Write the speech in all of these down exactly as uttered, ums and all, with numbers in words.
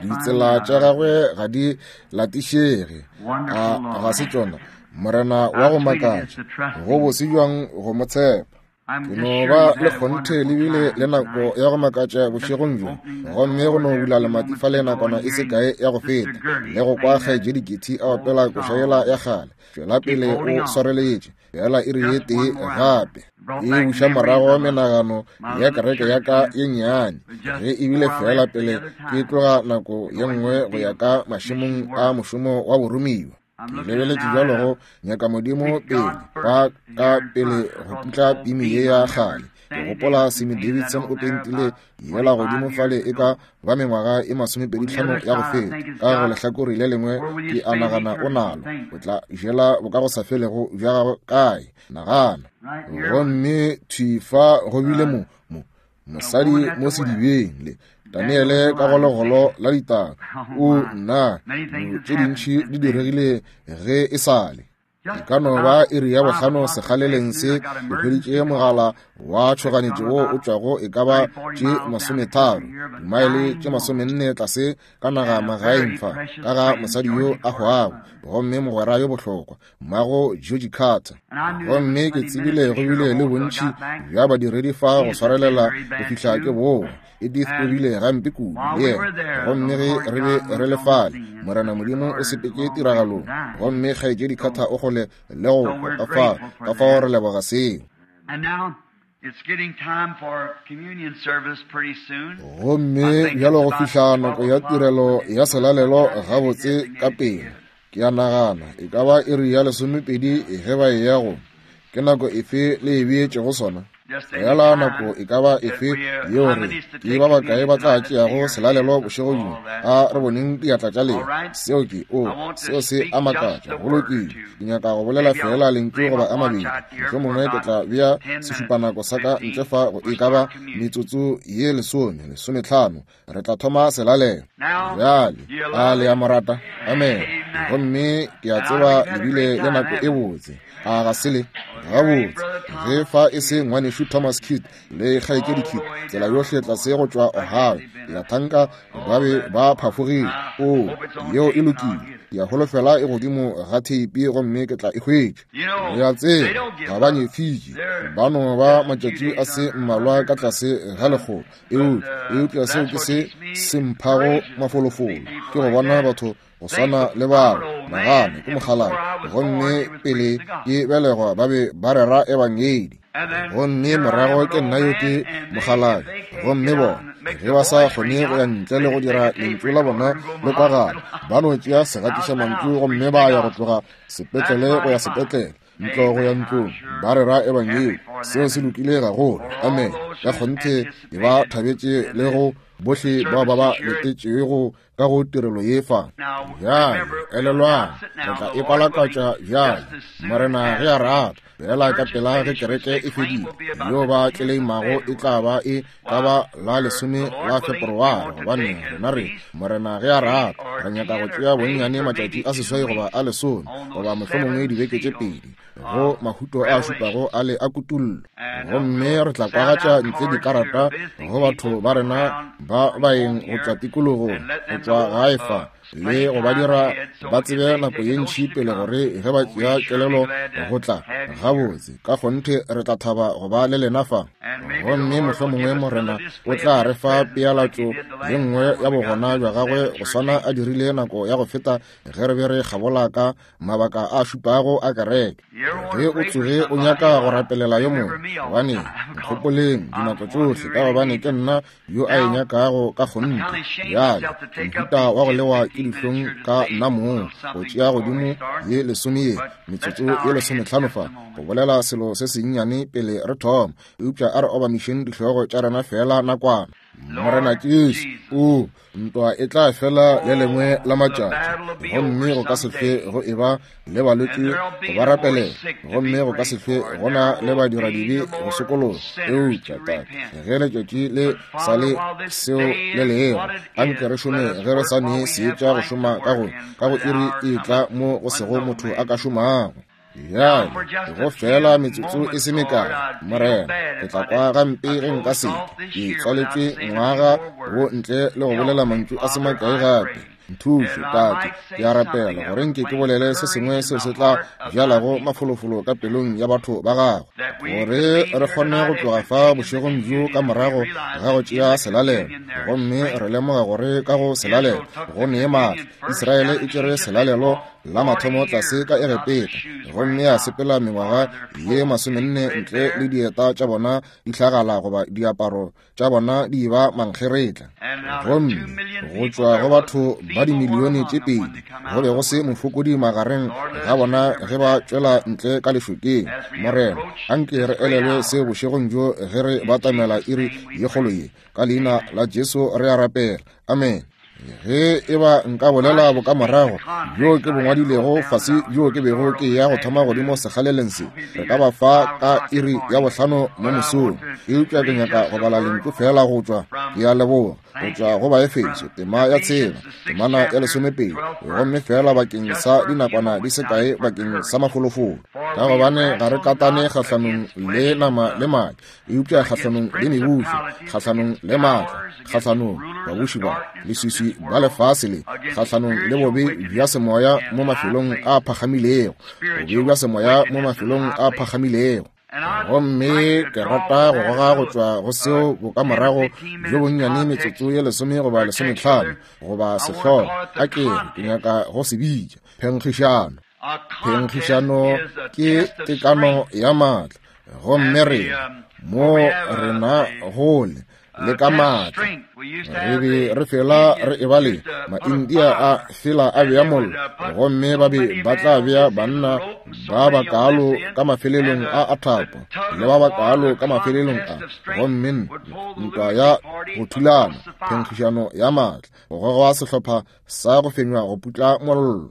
Ditsela tša gagwe ga di latišege, a ga se tšona, Morena wa go makatša, go bose bjang go mo tshepa. Ke no ba le kgonthe le bile le nako ya go makatša bošegong bjo, gomme go no bula lemati fa le nakwana e se kae ya go feta, le go kwa kgaetšedi Kitty a opela koša yela ya kgale, tšwela pele o swareletše, fela iri ye tee gape. E buša morago menagano ya kereke ya ka ye nnyane, ge ebile fela pele ke tloga nako ye nngwe go ya ka mašemong a mošomo wa boromiwa. Ke lebeletše bjalo go nyaka Modimo pele ba ka pele go putla pimi ye ya kgale. Ke gopola Sammy Davidson o pentile yela godimo fale e ka ba mengwaga e masomepedi tlhano ya go feta. Ka go lehlakore le lengwe ke a nagana o nalo, o tla jela bokagosafelego bja gagwe kae? Nagana. Gomme thwi fa go bile mo mo mosadi mo sedibeng le Daniele ka go legolo la ditaba. O nna, tše dintši di diregile ge e sale. E ka no ba iri ya bohlano sekgaleleng se, ke hweditše mogala wa tšhoganetšo wo o tšwago e ka ba tše masometharo, dimaele tše masomenne tlase ka naga magaeng fa, ka ga mosadi yo a hwago, gomme mogwera yo bohlokwa, mmago George Carter. Gomme ke tsebile go bile le bontši bja badiredi fa go swarelela go fihla ke boa. Edith o bile gampe kudu le yena, gomme ge re be re le fale, Morena Modimo o sepetše tiragalong, gomme kgaetšedi Carter o kgole le go kwa ka fao, ka fao re leboga seo. Gomme bjalo go fihla nako ya tirelo ya selalelo gabotse ka pele, ke a nagana e ka ba iri ya lesomepedi ge ba eya go. Ke nako efe le e beetšego sona? Fela nako e ka ba efe yeo re ke ba bakae ba tla tšeago selalelo bošego bjo, a re boneng diatla tša lena. Seo ke o seo se a makatša. Go lokile, ke nyaka go bolela fela lentšu goba a mabedi, mohlomongwe ke tla bea sešupanako sa ka ntle fa go e ka ba metsotso ye lesome lesometlhano, re tla thoma selalelo. Bjale a le ya morata? Amen. Gomme ke a tseba le bile le nako e botse, a ga se le? Gabotse, ge fa e se ngwanešu Thomas Kidd le kgaetšedi Kidd, tsela yohle tlase go tšwa Ohio, ke a thanka ba be ba phafogile. O, yeo e lokile, ke a holofela e godimo ga theipi gomme ke tla e hwetša. Le a tseba, ga ba nyefitše, ba no ba matšatši a se mmalwa ka tlase ga lekgolo, eupša eupša seo ke se se mphago mafolofolo, ke go bona batho go swana le bao. Nagane ke mokgalabje, gomme pele ke belegwa ba be ba rera ebangedi, gomme morago ke nna yo ke mokgalabje, gomme bona ge ba sa kgone go ya ntle le go dira lentšu la bona le kwagala, ba no tšea segatiša mantšu gomme ba ya go tloga sepetlele go ya sepetlele, ntlo go ya ntlong, ba rera ebangedi. Seo se lokile gagolo. Amen. Ka kgonthe ke ba thabetše le go bohle bao ba ba letetšego ka go tirelo ye fa. Bjale elelwang, re tla e kwalakatša bjale, Morena ge a rata, fela ka pela ge kereke e fedile, yo ba tleleimago e tla ba e ka ba la lesome la Feperware, gobane rena re, Morena ge a rata, re nyaka go tšea bonnyane matšatši a seswai goba a lesome, goba mohlomongwe dibeke tše pedi, go mahuto a šupago a le a kutullo. Gomme re tla kwagatša ntle dikarata go batho ba rena ba baeng go tšwa tikologong, go tšwa gae fa, le go ba dira ba tsebe nako ye ntši pele gore ge ba tšea kelelo go tla gabotse. Ka kgonthe re tla thaba go ba le lena fa. Gomme mohlomongwe Morena o tla re fa pealatšo ye nngwe ya bogona bja gagwe go swana a dirile nako ya go feta ge re be re kgabola ka mabaka a šupago a kereke. Ge o tsoge o nyaka go rapelela yo mongwe, gobane nkgopoleng dinako tšohle, ka gobane ke nna yo a e nyakago ka kgonthe. Bjale mohuta wa go lewa ke dihlong ka nna mong go tšea godimo ye lesome ye metsotso ye lesometlhano fa go bolela selo se sennyane pele re thoma, eupša a re obamišeng dihlogo tša rena fela nakwana. Morena Jesu, o ntwa e tla fela le lengwe la matšatši, gomme go ka se hlwe go e ba le balwetši go ba rapelela, gomme go ka se hlwe go na le badiradibe go sokologa. Eupša Tate, ge letšatši le sa le seo le lego, anke re šome ge re sa ne seetša go šoma ka go ka go iri e tla mo go sego motho a ka šomago. Bjale go fela metsotso e se mekae, Morena, ke tla kwa gampe ge nka se ke tswaletšwe ngwaga wo ntle le go bolela mantšu a se makae gape. Nthuše, Tate, ke a rapela gore nke ke bolele se sengwe seo se tla bjalago mafolofolo ka pelong ya batho ba gago, gore re kgone go tloga fa bošegong bjo ka morago ga go tšea selalelo, gomme re lemoga gore ka go selalelo go nee maatla. Israele e tšere selalelo la mathomo tlase ka Egepeta, gomme ya sepela mengwaga ye masomenne ntle le dieta tša bona di hlagala goba diaparo tša bona di ba mankgeretla. Gomme go tšwa go batho ba dimilione tše pedi go be go se mofokodi magareng ga bona ge ba tšwela ntle ka lešokeng. Morena, anke re elelwe se bošegong bjo ge re batamela iri ye kgolo ye. Ka leina la Jesu re a rapela, amen. Ge e ba nka bolela bokamorago bjo ke bo ngwadilego fase bjo ke bego ke ya go thoma godimo sekgaleleng se, re ka ba fa ka iri ya bohlano mo mosong. Eupša ke nyaka go bala lentšu fela go tšwa, ke a leboga, go tšwa go Baefeso tema ya tshela temana ya lesomepedi, gomme fela bakeng sa dinakwana di se kae bakeng sa mafolofolo. Ka gobane ga re katane kgahlanong le nama le madi, eupša kgahlanong le mebušo, kgahlanong le maatla, kgahlanong babuši ba leswiswi ba lefase le, kgahlanong le bobe bja semoya mo mafelong a phagamilego, bobe bja semoya mo mafelong a phagamilego. Gomme ke rata go goga go tšwa go seo bokamorago bjo bonnyane metsotso ye lesome goba lesometlhano goba sehlogo, a ke re ke nyaka go se bitša phenkgišano. Phenkgišano ke tekano ya maatla, gomme rena mo rena gole le ka maatla re be re fela re eba le Maindia a fela a bea mollo, gomme ba be ba tla bea banna ba bakaalo ka mafelelong a a thapo le ba bakaalo ka mafelelong a, gomme ntwa ya go thulana, phenkgišano ya maatla, go goga sehlopha sa go fenywa go putla mollo.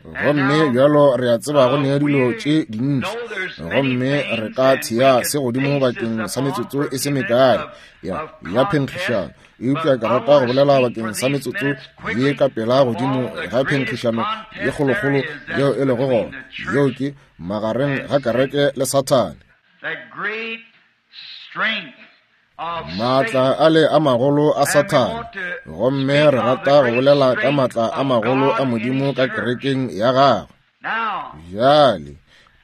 Gomme bjalo re a tseba go nea dilo tše dintši, gomme re ka thea se godimo bakeng sa metsotso e se mekae ya ya phenkgišano, eupša ke rata go bolela bakeng sa metsotso ye ka pela godimo ga phenkgišano ye kgolokgolo yeo e lego gona, yeo ke magareng ga kereke le Sathane. Maatla a le a magolo a Sathane, gomme re rata go bolela ka maatla a magolo a Modimo ka kerekeng ya gagwe. Bjale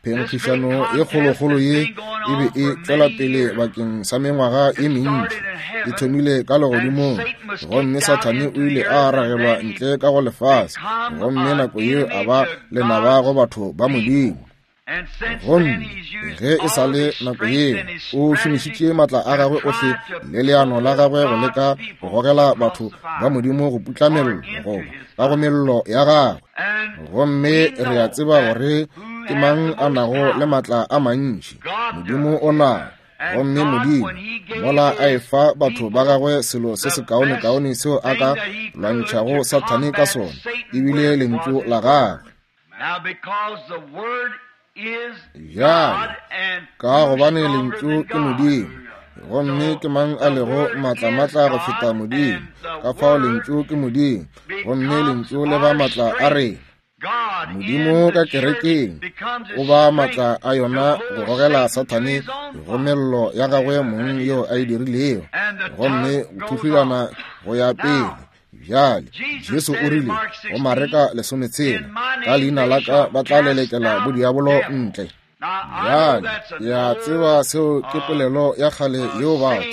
phenkgišano ye kgolokgolo ye e be e tšwela pele bakeng sa mengwaga e mentši. E thomile ka legodimong, gomme Sathane o ile a ragelwa ntle ka go lefase, gomme nako yeo a ba lenaba go batho ba Modimo. Gomme ge e sa le nako yeo, o šomišitše maatla a gagwe ohle le leano la gagwe go leka go gogela batho ba Modimo go putla mello goba ka go mello ya gagwe. Gomme re a tseba gore ke mang a nago le maatla a mantši. Modimo o nao. Gomme Modimo mola a efa batho ba gagwe selo se sekaonekaone seo a ka lwantšhago Sathane ka sona, ebile lentšu la gagwe. Bjale ka gobane lentšu ke Modimo, gomme ke mang a lego maatlamatla go feta Modimo? Ka fao lentšu ke Modimo, gomme lentšu le ba maatla a rena. Modimo ka kerekeng o ba maatla a yona go gogela Sathane go mello ya gagwe mong yeo a e dirilego, gomme go thuhlulana go ya pele. Bjale Jesu o rile go Mareka lesometshela, ka leina la ka ba tla lelekela bodiabolo ntle. Bjale ke a tseba seo ke polelo ya kgale yeo batho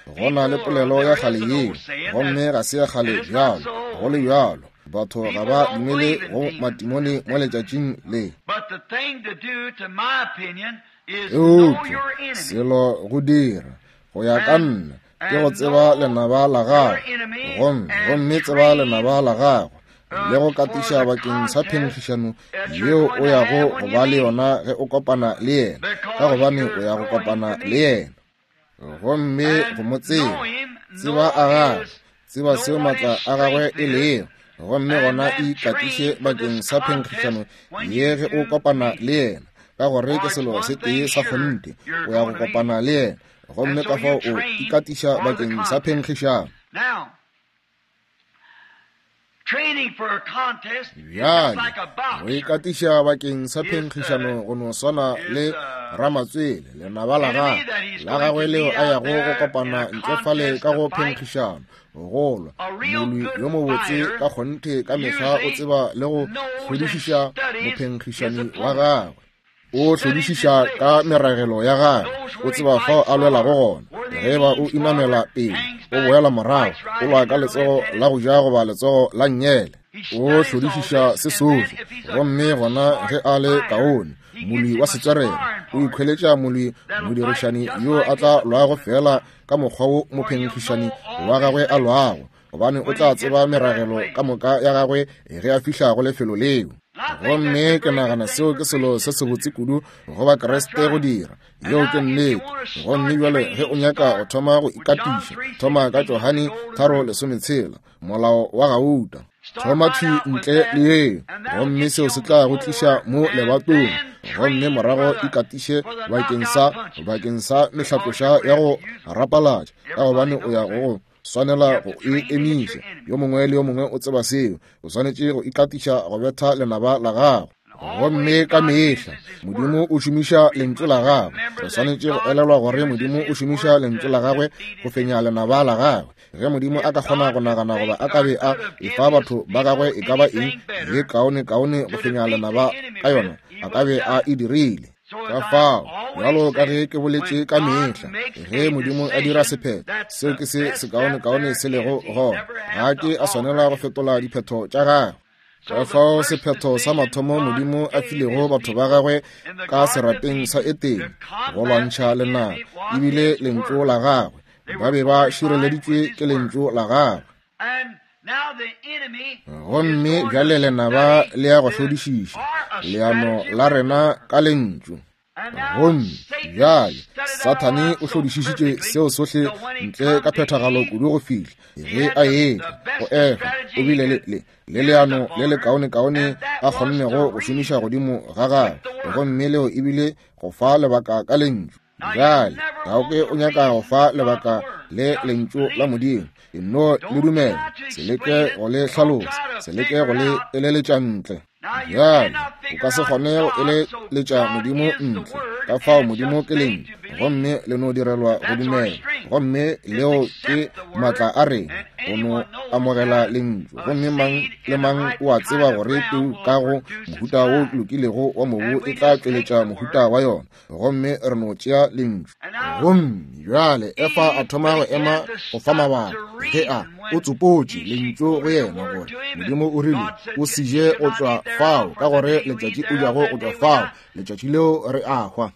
goba go na le polelo ya kgale yeo, gomme ga se ya kgale bjalo. Go le bjalo batho ga ba dumele go matimone mo letšatšing le. Eupša selo go dira go ya ka nna ke go tseba lenaba la gago, gomme gomme tseba lenaba la gago le go katiša bakeng sa phenkgišano yeo o yago go ba le yona ge o kopana le yena, ka gobane o ya go kopana le yena. Gomme go mo tseba, tseba a gagwe, tseba seo maatla a gagwe e lego, gomme gona ikatiše bakeng sa phenkgišano ye ge o kopana le yena, ka gore ke selo se tee sa kgonthe, o ya go kopana le yena, gomme ka fao o ikatiša bakeng sa phenkgišano. Bjale go ikatiša bakeng sa phenkgišano go no swana le ramatswele lenaba la gagwe la gagwe leo a yago go kopana ntle fale ka go phenkgišano go lwa. Molwi yo mobotse ka kgonthe ka mehla o tseba le go hlodišiša mophenkgišani wa gagwe. O hlodišiša ka meragelo ya gagwe, o tseba fao a lwelago gona. Ge ba o inamela pele, o boela morago, o lwa ka letsogo la go ja goba letsogo la nnyele. O hlodišiša se sohle, gomme gona ge a le kaone, molwi wa setswerere o ikhweletša molwi modirišani yo a tla lwago fela ka mokgwa wo mophenkgišani wa gagwe a lwago, gobane o tla tseba meragelo ka moka ya gagwe ge a fihla go lefelo leo. Gomme ke nagana seo ke selo se sebotse kudu go Bakriste go dira. Yeo ke nnete. Gomme bjale ge o nyaka go thoma go ikatiša, thoma ka Johane tharo lesometshela, molao wa gauta. Thoma thwi ntle le yeo, gomme seo se tla go tliša mo lebatong. Gomme morago ikatiše bakeng sa bakeng sa mehlaploša ya go rapalatša, ka gobane o ya go swanela go e emiša. Yo mongwe le yo mongwe o tseba seo. O swanetše go ikatiša go betha lenaba la gago. Gomme ka mehla Modimo o šomiša lentšu la gagwe. Re swanetše go elelwa gore Modimo o šomiša lentšu la gagwe go fenya lenaba la gagwe. Ge Modimo a ka kgona go nagana goba a ka be a efa batho ba gagwe e ka ba eng ye kaone kaone go fenya lenaba ka yona, a ka be a e dirile. Ka fao, bjalo ka ge ke boletše ka mehla, ge Modimo a dira sephetho, seo ke se sekaonekaone se lego gona. Ga ke a swanela go fetola diphetho tša gagwe. Ka fao sephetho sa mathomo Modimo a filego batho ba gagwe ka serapeng sa Etene go lwantšha lenaba ebile lentšu la gagwe. Ba be ba šireleditšwe ke lentšu la gagwe. Gomme bjale lenaba le ya go hlodišiša leano la rena ka lentšu. Gomme bjale Sathane o hlodišišitše seo sohle ntle ka phethagalo kudu go fihla ge a etla go Efa. O bile le le le leano le le kaonekaone a kgonnego go šomiša godimo ga gagwe, gomme leo ebile go fa lebaka ka lentšu. Bjale ga o ke o nyaka go fa lebaka le lentšu la Modimo, e no le dumela, se leke go le hlalosa, se leke go le eleletša ntle. Bjale o ka se kgone go eleletša Modimo ntle. Ka fao Modimo ke lentšu, gomme le no direlwa go dumela. Gomme leo ke maatla a rena go no amogela lentšu. Gomme mang le mang o a tseba gore peu ka go mohuta wo lokilego wa mobu e tla tšweletša mohuta wa yona. Gomme re no tšea lentšu. Gomme bjale Efa a thoma go ema go fa mabaka ge a o tsopotše lentšu go yena gore Modimo o rile o se je go tšwa fao, ka gore letšatši o jago go tšwa fao, letšatši leo re a hwa.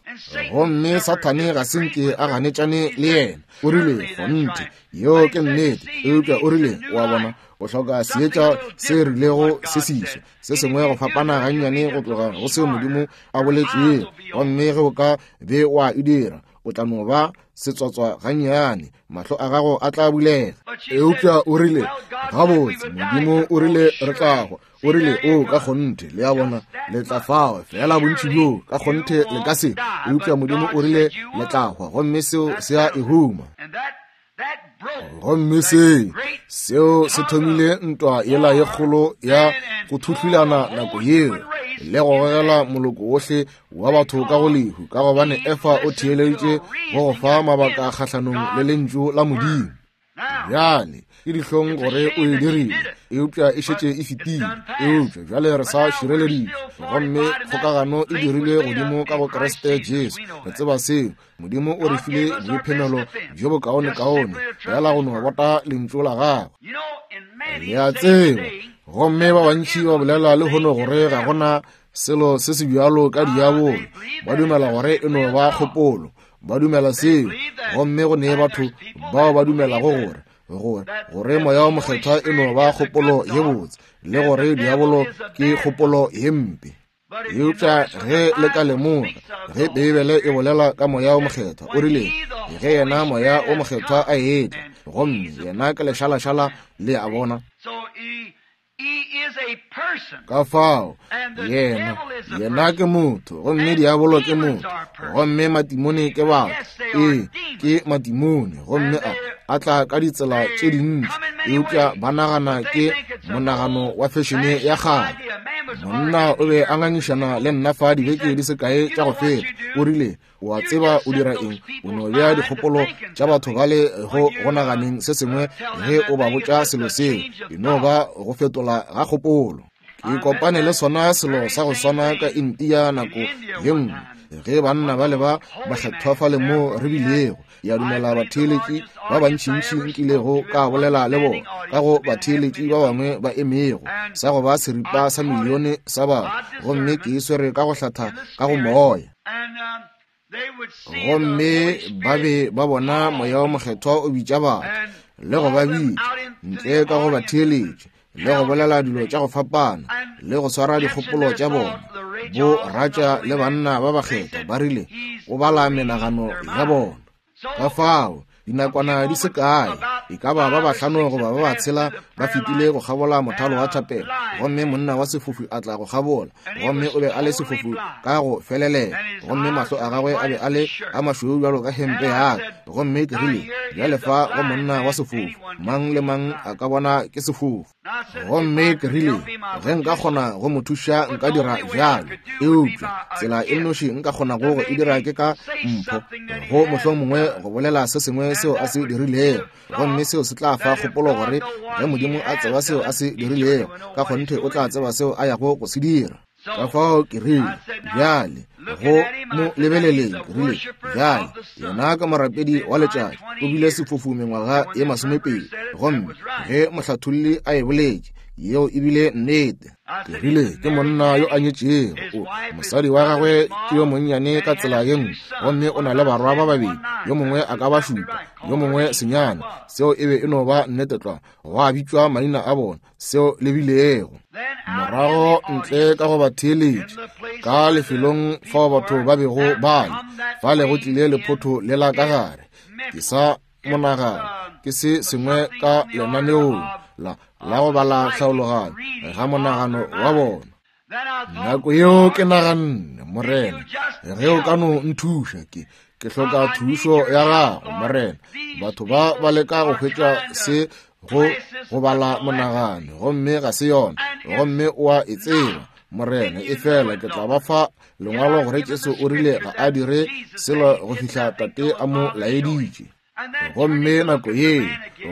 Gomme Sathane ga se nke a ganetšane le yena. O rile kgonthe, yeo ke nnete, eupša o rile wa bona o hloka seetša se rilego se seswa, se sengwe go fapana gannyane go tloga go seo Modimo a boletšego. Gomme ge o ka be wa e dira, o tla no ba setswatswa gannyane, mahlo a gago a tla bulega. Eupša o rile gabotse, Modimo o rile re tla hwa. O rile o ka kgonthe, le a bona, le tla fao fela bontši bjo ka kgonthe le ka se. Eupša Modimo o rile le tla hwa, gomme seo se a e huma. Gomme se seo se thomile ntwa yela ye kgolo ya go thuhlulana nako yeo le go gogela moloko wohle wa batho ka go lehu, ka gobane Efa o theeleditše go go fa mabaka kgahlanong le lentšu la Modimo. Bjale ke dihlong gore o e dirile, eupša e šetše e fetile. Eupša bjale re sa šireleditšwe, gomme kgokagano e dirilwe godimo ka go Kriste Jesu. Re tseba seo. Modimo o re file boiphemelo bjo bokaonekaone, fela go no bota lentšu la gagwe. Le a tseba, gomme ba bantši ba bolela lehono gore ga gona selo se se bjalo ka diabolo. Ba dumela gore e no ba kgopolo, ba dumela seo. Gomme go ne batho bao ba dumelago gore gore gore moya wa mokgethwa e no ba kgopolo ye botse, le gore diabolo ke kgopolo ye mpe. Eupša ge le ka lemoga, ge Beibele e bolela ka moya o mokgethwa, o rile ge yena moya o mokgethwa a etla, gomme yena ke lešalašala, le a bona. Ka fao yena yena ke motho, gomme diabolo ke motho, gomme matimone ke batho. Ee, ke matimone, gomme a a tla ka ditsela tše dintši, eupša ba nagana ke monagano wa fešene ya kgale. Monna o be a ngangišana le nna fa dibeke di se kae tša go feta. O rile, o a tseba o dira eng? O no bea dikgopolo tša batho bale go go naganeng se sengwe ge o ba botša selo seo. E no ba go fetola ga kgopolo. Ke kopane le sona selo sa go swana ka India nako ye nngwe, ge banna ba le ba bakgethwa fale mo re bilego. Ya dumela batheeletši ba bantšintši nkilego ka bolela le bona, ka go batheeletši ba bangwe ba emego sa go ba seripa sa milione sa batho, gomme ke e swere ka go hlatha ka go moya. Gomme ba be ba bona moya wa mokgethwa o bitša batho le go ba bitša ntle ka go batheeletši le go bolela dilo tša go fapana le go swara dikgopolo tša bona. Bo ratša le banna ba bakgethwa ba rile o bala menagano ya bona. Ka fao dinakwana di se kae, e ka ba ba bahlano goba ba batshela ba fetile go kgabola mothalo wa thapelo, gomme monna wa sefofu a tla go kgabola, gomme o be a le sefofu ka go felelela, gomme mahlo a gagwe a be a le a mašweu bjalo ka hempe ya ka. Gomme ke rile, bjale fa go monna wa sefofu, mang le mang a ka bona ke sefofu. Gomme ke rile, ge nka kgona go mo thuša nka dira bjalo, eupša tsela e nnoši nka kgonago go e dira ke ka mpho, go mohlomongwe go bolela se sengwe seo a se dirilego, gomme seo se tla fa kgopolo gore ge Modimo a tseba seo a se dirilego, ka kgonthe o tla tseba seo a yago go se dira. Ka fao ke rile, bjale go mo lebeleleng, ke rile, bjale yena ka morapedi wa letšatši o bile sefofu mengwaga ye masomepedi, gomme ge mohlatholli a e boletše, yeo e bile nnete. Ke rile, ke monna yo a nyetšego, mosadi wa gagwe ke yo monnyane ka tsela ye nngwe, gomme o na le barwa ba babedi, yo mongwe a ka ba šupa, yo mongwe senyane. Seo e be e no ba nnete tlwa, gwa bitšwa maina a bona, seo le bilego. Morago ntle ka go batheeletši ka lefelong fao batho ba bego ba le, fale go tlile lephotho lela ka gare. Ke sa monagano ke se sengwe ka lenaneong la la go bala tlhaologanyo ga monagano wa bona. Nako yeo ke naganne, Morena, ge o ka no nthuša, ke ke hloka thušo ya gago, Morena. Batho ba ba leka go hwetša se go go bala monagano, gomme ga se yona, gomme o a e tseba, Morena. E fela ke tla ba fa lengwalo gore Jesu o rile ga a dire selo go fihla Tate a mo laeditše. Gomme nako ye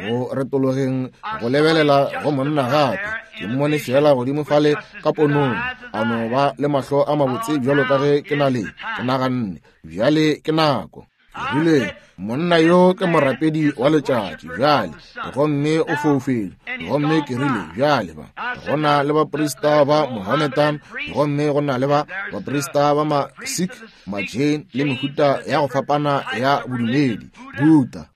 go retologeng go lebelela go monna gape, ke mmone fela godimo fale ka ponong, a no ba le mahlo a mabotse bjalo ka ge ke na le. Ke naganne, bjale ke nako. Ke rile, monna yo ke morapedi wa letšatši bjale, gomme o foufetše. Gomme ke rile, bjale ba go na le baprista ba Mohammedan, gomme go na le ba baprista ba ma-Sikh, ma-Jain le mehuta ya go fapana ya bodumedi, Buddha.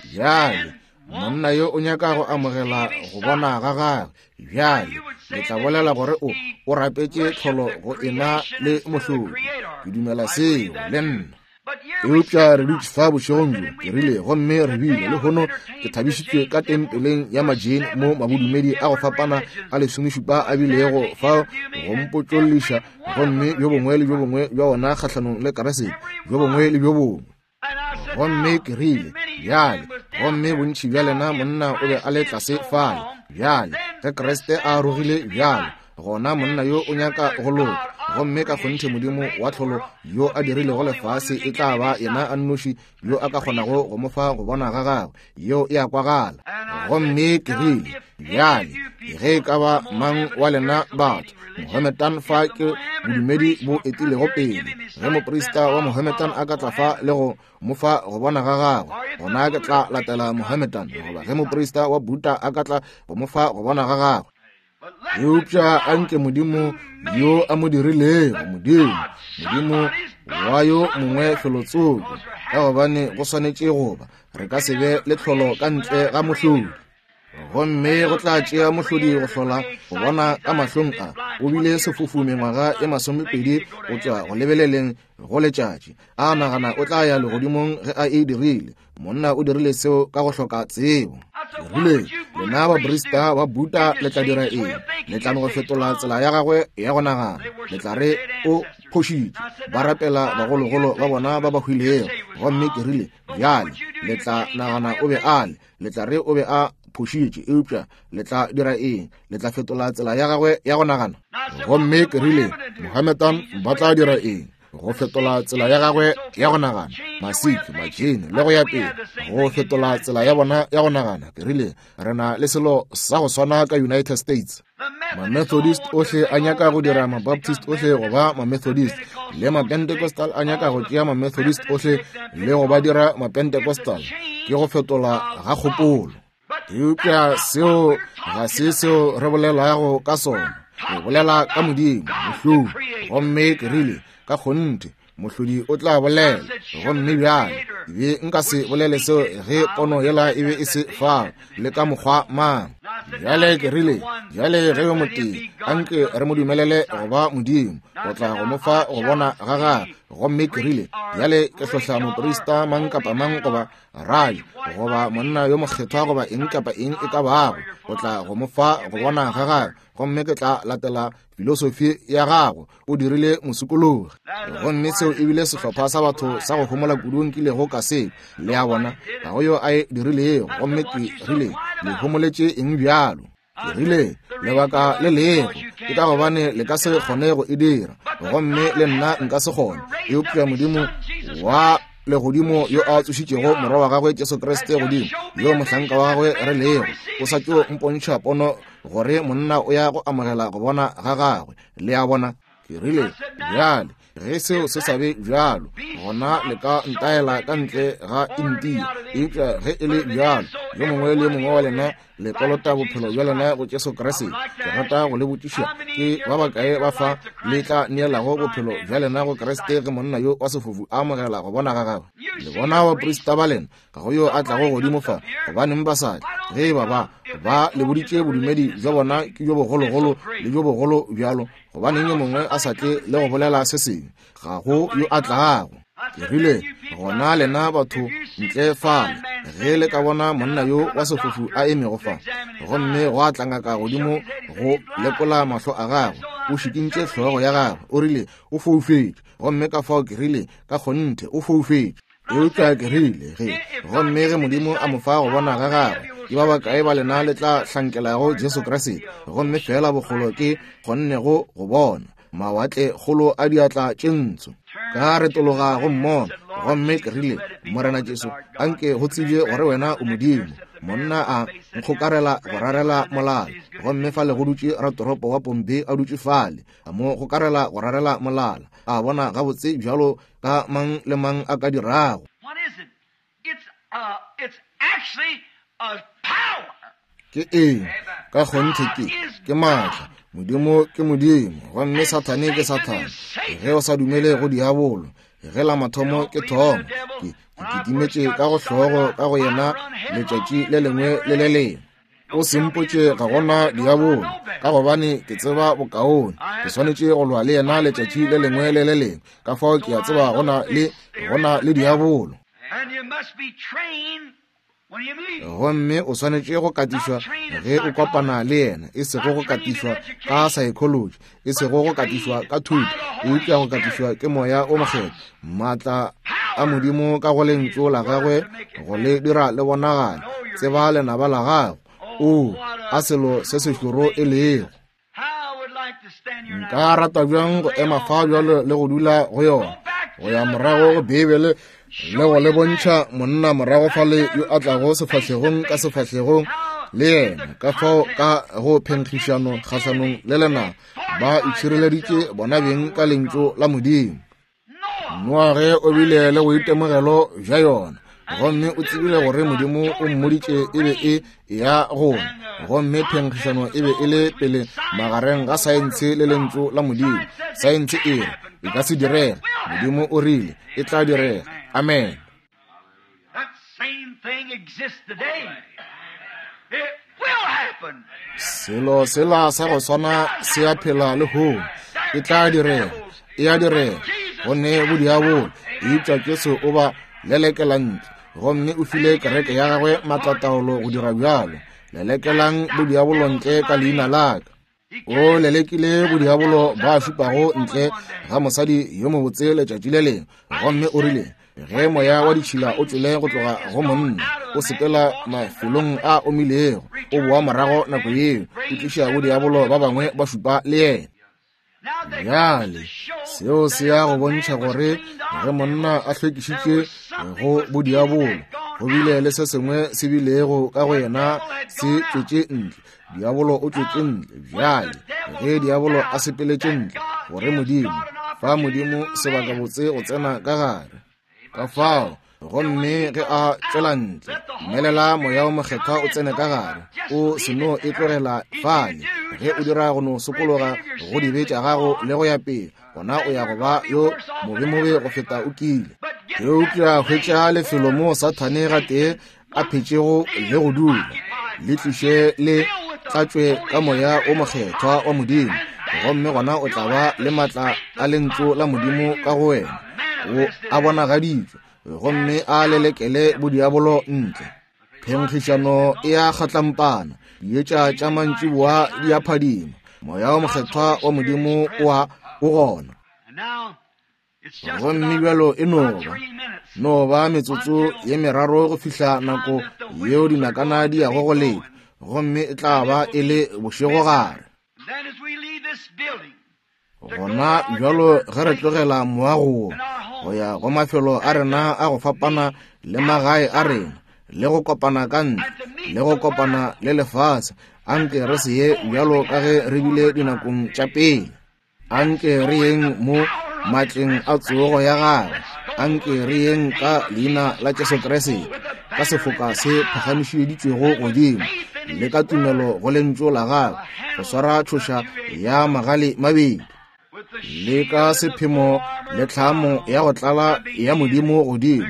Bjale monna yo o nyaka go amogela go bona ga gagwe. Bjale le tla bolela gore o o rapetše tlholo go ena le mohlodi. Ke dumela seo le nna. Eupša re dutše fa bošegong bjo, ke rile, gomme re bile lehono ke thabišitšwe ka tempeleng ya Majain mo mabodumedi a go fapana a lesomešupa a bilego fa go mpotšolliša, gomme bjo bongwe le bjo bongwe bja ona kgahlanong le Keresete, bjo bongwe le bjo bongwe. Gomme ke rile, bjale, gomme bontši bja lena monna o be a le tlase fale. Bjale ge Kriste a arogile bjalo, gona monna yo o nyaka go loka, gomme ka kgonthe Modimo wa tlholo yo a dirilego lefase e tla ba yena a nnoši yo a ka kgonago go mo fa go bona ga gagwe. Yeo e a kwagala. Gomme ke rile, bjale ge e ka ba mang wa lena batho Mohammedan fa ke bodumedi bo etilego pele, ge moprista wa Mohammedan a ka tla fa le go mo fa go bona ga gagwe, gona ke tla latela Mohammedan. Goba ge moprista wa Buddha a ka tla go mo fa go bona ga gagwe. Eupša a nke Modimo yo a mo dirilego, Modimo, Modimo wa yo mongwe felotsoko, ka gobane go swanetše goba re ka se be le tlholo ka ntle ga mohlodi. Gomme go tla tšea mohlodi go hlola go bona ka mahlong a. O bile sefofu mengwaga e masomepedi go tšwa go lebeleleng go letšatši. A nagana o tla ya legodimong ge a e dirile. Monna o dirile seo ka go hloka tsebo. Ke rile, lena baprista ba Buddha le tla dira eng? Le tla no go fetola tsela ya gagwe ya go nagana. Le tla re o phošitše. Ba rapela bagologolo ba bona ba ba hwilego. Gomme ke rile, bjale le tla nagana o be a le, le tla re o be a phošitše, eupša le tla dira eng? Le tla fetola tsela ya gagwe ya go nagana? Gomme ke rile, Mohammedan ba tla dira eng? Go fetola tsela ya gagwe ya go nagana. Masikh, Majain le go ya pele, go fetola tsela ya bona ya go nagana. Ke rile, re na le selo sa go swana ka United States. Ma-Methodist ohle a nyaka go dira ma-Baptist ohle go ba ma-Methodist, le ma-Pentecostal a nyaka go tšea ma-Methodist ohle le go ba dira ma-Pentecostal. Ke go fetola ga kgopolo. Eupša seo ga se seo re bolelago ka sona. Re bolela ka Modimo, Mohlodi. Gomme ke rile, ka kgonthe Mohlodi o tla bolela. Gomme bjale be nka se bolele seo ge pono yela e be e se fao le ka mokgwa mang. Bjale ke rile, bjale ge yo motee anke re mo dumelele go ba Modimo, go tla go mo fa go bona ga gagwe. Gomme ke rile, bjale ke hlohla moprista mang kapa mang goba rabi goba monna yo mokgethwa goba eng kapa eng e ka bago, go tla go mo fa go bona ga gagwe, gomme ke tla latela filosofi ya gago. O dirile mosokologi. Gomme seo e bile sehlopha sa batho sa go homola kudu nkilego ka se. Le a bona, ga go yo a e dirilego. Gomme ke rile, le homoletše eng bjalo? Ke rile, lebaka le lego ke ka gobane le ka se kgone go e dira, gomme le nna nka se kgone. Eupša Modimo wa legodimo yo a tsošitšego morwa wa gagwe Jesu Kriste godimo, yo mohlanka wa gagwe re lego, o sa tšo mpontšha pono gore monna o ya go amogela go bona ga gagwe. Le a bona? Ke rile, bjale ge seo se sa be bjalo, gona le ka ntaela ka ntle ga India. Eupša ge e le bjalo, yo mongwe le yo mongwe wa lena le kolota bophelo bja lena go Jesu Kriste. Ke rata go le botšiša, ke ba bakae ba fa le tla neelago bophelo bja lena go Kriste ge monna yo wa sefofu a amogela go bona ga gagwe? Le bona baprista ba lena, ga go yo a tlago godimo fa, gobaneng ba sa tle? Ge ba ba ba le boditše bodumedi bja bona ke bjo bogologolo le bjo bogolo bjalo, gobaneng yo mongwe a sa tle le go bolela se sengwe? Ga go yo a tlago. Ke rile, gona lena batho ntle fale, ge le ka bona monna yo wa sefofu a emego fa, gomme go a tla ngaka godimo go lekola mahlo a gagwe, o šikintše hlogo ya gagwe, o rile o foufetše. Gomme ka fao ke rile, ka kgonthe o foufetše. Eupša ke rile, ge gomme ge Modimo a mo fa go bona ga gagwe, ke ba bakae ba lena le tla hlankelago Jesu Kriste? Gomme fela bogolo ke kgonnego go bona mawatle kgolo a diatla tše ntsho. Ka retologa go mmona, gomme ke rile, Morena Jesu, anke go tsebje gore wena o Modimo. Monna a nkgokarela go rarela molala, gomme fale go dutše ratoropo wa Pompe a dutše fale, a mo gokarela go rarela molala, a bona gabotse bjalo ka mang le mang a ka dirago. Ke eng? Ka kgonthe ke ke maatla. Modimo ke Modimo, gomme Sathane ke Sathane. Ge o sa dumele go diabolo, ge la mathomo ke thomo, ke ke kitimetše ka go hlogo ka go yena letšatši le lengwe le le lengwe. O sempotše ga gona diabolo, ka gobane ke tseba bokaone. Ke swanetše go lwa le yena letšatši le lengwe le le lengwe. Ka fao ke a tseba gona le gona le diabolo. Gomme o swanetše go katišwa ge o kopana le yena, e sego go katišwa ka psychology, e sego go katišwa ka thuto, eupša go katišwa ke Moya o Mokgethwa, maatla a Modimo ka go lentšu la gagwe go le dira le bonagale. Tseba lenaba la gago. O a selo se sešoro e lego. Nka rata bjang go ema fa bjalo le go dula go yona, go ya morago go Beibele le go le bontšha monna morago fale yo a tlago sefahlegong ka sefahlegong le yena, ka fao ka go phenkgišano kgahlanong le lena ba itšhireleditše bona beng ka lentšu la Modimo. Noage o bile le boitemogelo bja yona, gomme o tsebile gore Modimo o mmoditše e be e ya gona, gomme phenkgišano e be e le pele magareng ga saense le lentšu la Modimo. Saense e re e ka se direge, Modimo o rile e tla direga. Amen. Selo sela sa go swana se a phela le lehono. E tla direga, e a direga. Go ne bodiabolo, eupša Jesu o ba lelekela ntle, gomme o file kereke ya gagwe maatlataolo go dira bjalo. Lelekelang bodiabolo ntle ka leina la ka. O lelekile bodiabolo ba šupago ntle ga mosadi yo mobotse letšatši le lengwe, gomme o rile, Ge moya wa ditšhila o tšwele go tloga go monna, o sepela mafelong a omilego, o boa morago nako yeo, o tliša bodiabolo ba bangwe ba šupa le yena. Bjale seo se ya go bontšha gore ge monna a hlwekišitšwe go bodiabolo, go bile le se sengwe se bilego ka go yena se tšwetše ntle. Diabolo o tšwetše ntle. Bjale ge diabolo a sepeletše ntle, gore Modimo fa Modimo sebakabotse go tsena ka gare. Ka fao gomme ge a tšwela ntle, mmelela moya o mokgethwa o tsene ka gare, o se no e tlogela fale. Ge o dira go no sokologa go dibe tša gago le go ya pele, gona o ya go ba yo mobemobe go feta o kile. Eupša hwetša lefelo mo Sathane gatee a phetšego le go dula, le tliše le tlatšwe ka moya o mokgethwa wa Modimo, gomme gona o tla ba le maatla a lentšu la Modimo ka go wena, o a bonagaditšwe, gomme a lelekele bodiabolo ntle. Phenkgišano e a kgatlampana, dietša tša mantšiboa di a phadima, moya o mokgethwa wa Modimo o a o gona. Gomme bjalo e no ba no ba metsotso ye meraro go fihla nako yeo dinakana di yago go leta, gomme e tla ba e le bošegogare. Gona bjalo ge re tlogela moago wo go ya go mafelo a rena a go fapana le magae a rena, le go kopana ka ntle le go kopana le lefase, anke re se ye bjalo ka ge re bile dinakong tša pele. Anke re yeng mo matleng a tsogo ya gagwe, anke re yeng ka leina la Jesu Kriste, ka sefoka se phagamišeditšwego godimo, le ka tumelo go lentšu la gagwe, go swara tšhoša ya magale mabedi, le ka sephemo le tlhamo ya go tlala ya Modimo godimo,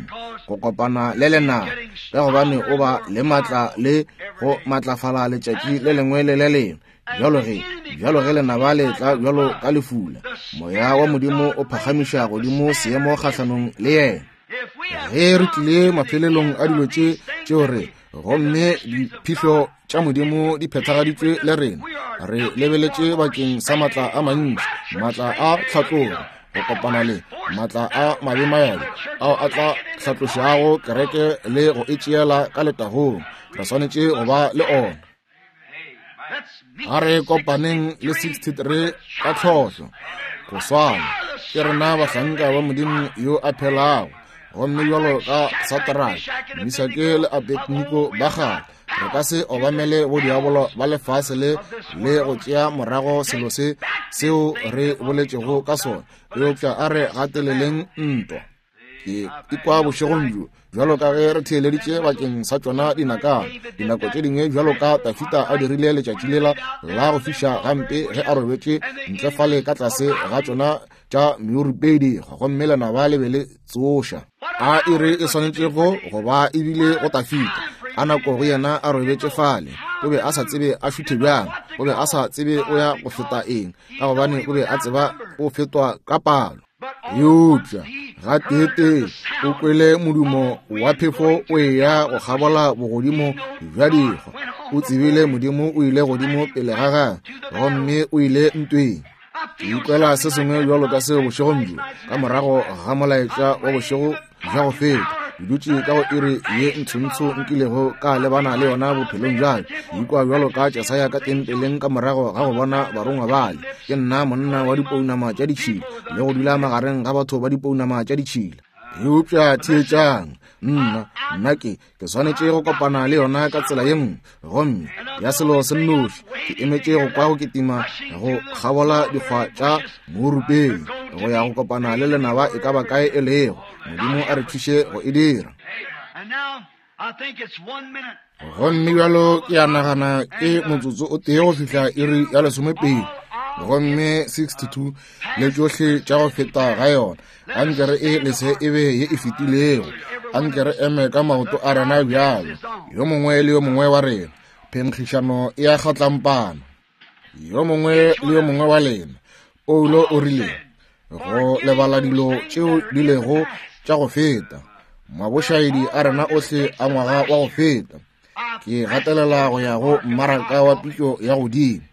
go kopana le lenaba, ka gobane o ba le maatla le go matlafala letšatši le lengwe le le lengwe. Bjalo ge bjalo ge lenaba le tla bjalo ka lefula, moya wa Modimo o phagamiša godimo seemo kgahlanong le yena. Ge re tlile mafelelong a dilo tše tšeo re, gomme diphihlo tša Modimo di phethagaditšwe le rena, re lebeletše bakeng sa maatla a mantši, maatla a tlhatlogo, go kopana le maatla a mabemayabe ao a tla hlatlošago kereke le go e tšeela ka letagong. Re swanetše go ba le ona. A re kopaneng le sixty-three ka tlhohlo go swana. Ke rena bahlanka ba Modimo yo a phelago, gomme bjalo ka Satraka, Mesake le Abednego ba kgale, re ka se obamele bodiabolo ba lefase le le go tšea morago selo se seo re boletšego ka sona, eupša a re gateleleng ntwa. Ke ikwa bošegong bjo bjalo ka ge re theeleditše bakeng sa tšona dinakana, dinako tše dingwe bjalo ka Tafita a dirile letšatši lela la go fiša gampe ge a robetše ntle fale ka tlase ga tšona tša meurupedi, gomme lenaba le be le tsoša. A iri e swanetšego go ba ebile go Tafita a nako go yena a robetše fale, o be a sa tsebe a šuthe bjang, o be a sa tsebe o ya go feta eng, ka gobane o be a tseba o fetwa ka palo. Eupša gateetee o kwele modumo wa phefo o eya go kgabola bogodimo bja dikgwa. O tsebile Modimo o ile godimo pele ga gagwe, gomme o ile ntweng. Ke ikwela se sengwe bjalo ka seo bošegong bjo, ka morago ga molaetša wa bošego bja go feta. Ke dutše ka go iri ye ntshontsho nkilego ka lebana le yona bophelong bja ka. Ke ikwa bjalo ka Jesaya ka tempeleng ka morago ga go bona barongwa bale. Ke nna monna wa dipounama tša ditšhila le go dula magareng ga batho ba dipounama tša ditšhila. Eupša theetšang, nna nna ke ke swanetše go kopana le yona ka tsela ye nngwe, gomme ya selo se nnoši ke emetše go kwa go kitima go kgabola dikgwa tša mourupedi go ya go kopana le lenaba e ka ba kae e lego. Modimo a re thuše go e dira. Gomme bjalo ke a nagana ke motsotso o tee go fihla iri ya lesomepedi, gomme sixty-two le tšohle tša go feta ga yona. Anke re e lese e be ye e fetilego, anke re eme ka maoto a rena bjalo, yo mongwe le yo mongwe wa rena. Phenkgišano e a kgatlampana, yo mongwe le yo mongwe wa lena. Paulo o rile go lebala dilo tšeo di lego tša go feta, mabošaedi a rena ohle a ngwaga wa go feta. Ke gatelela go ya go mmaraka wa pitšo ya godimo.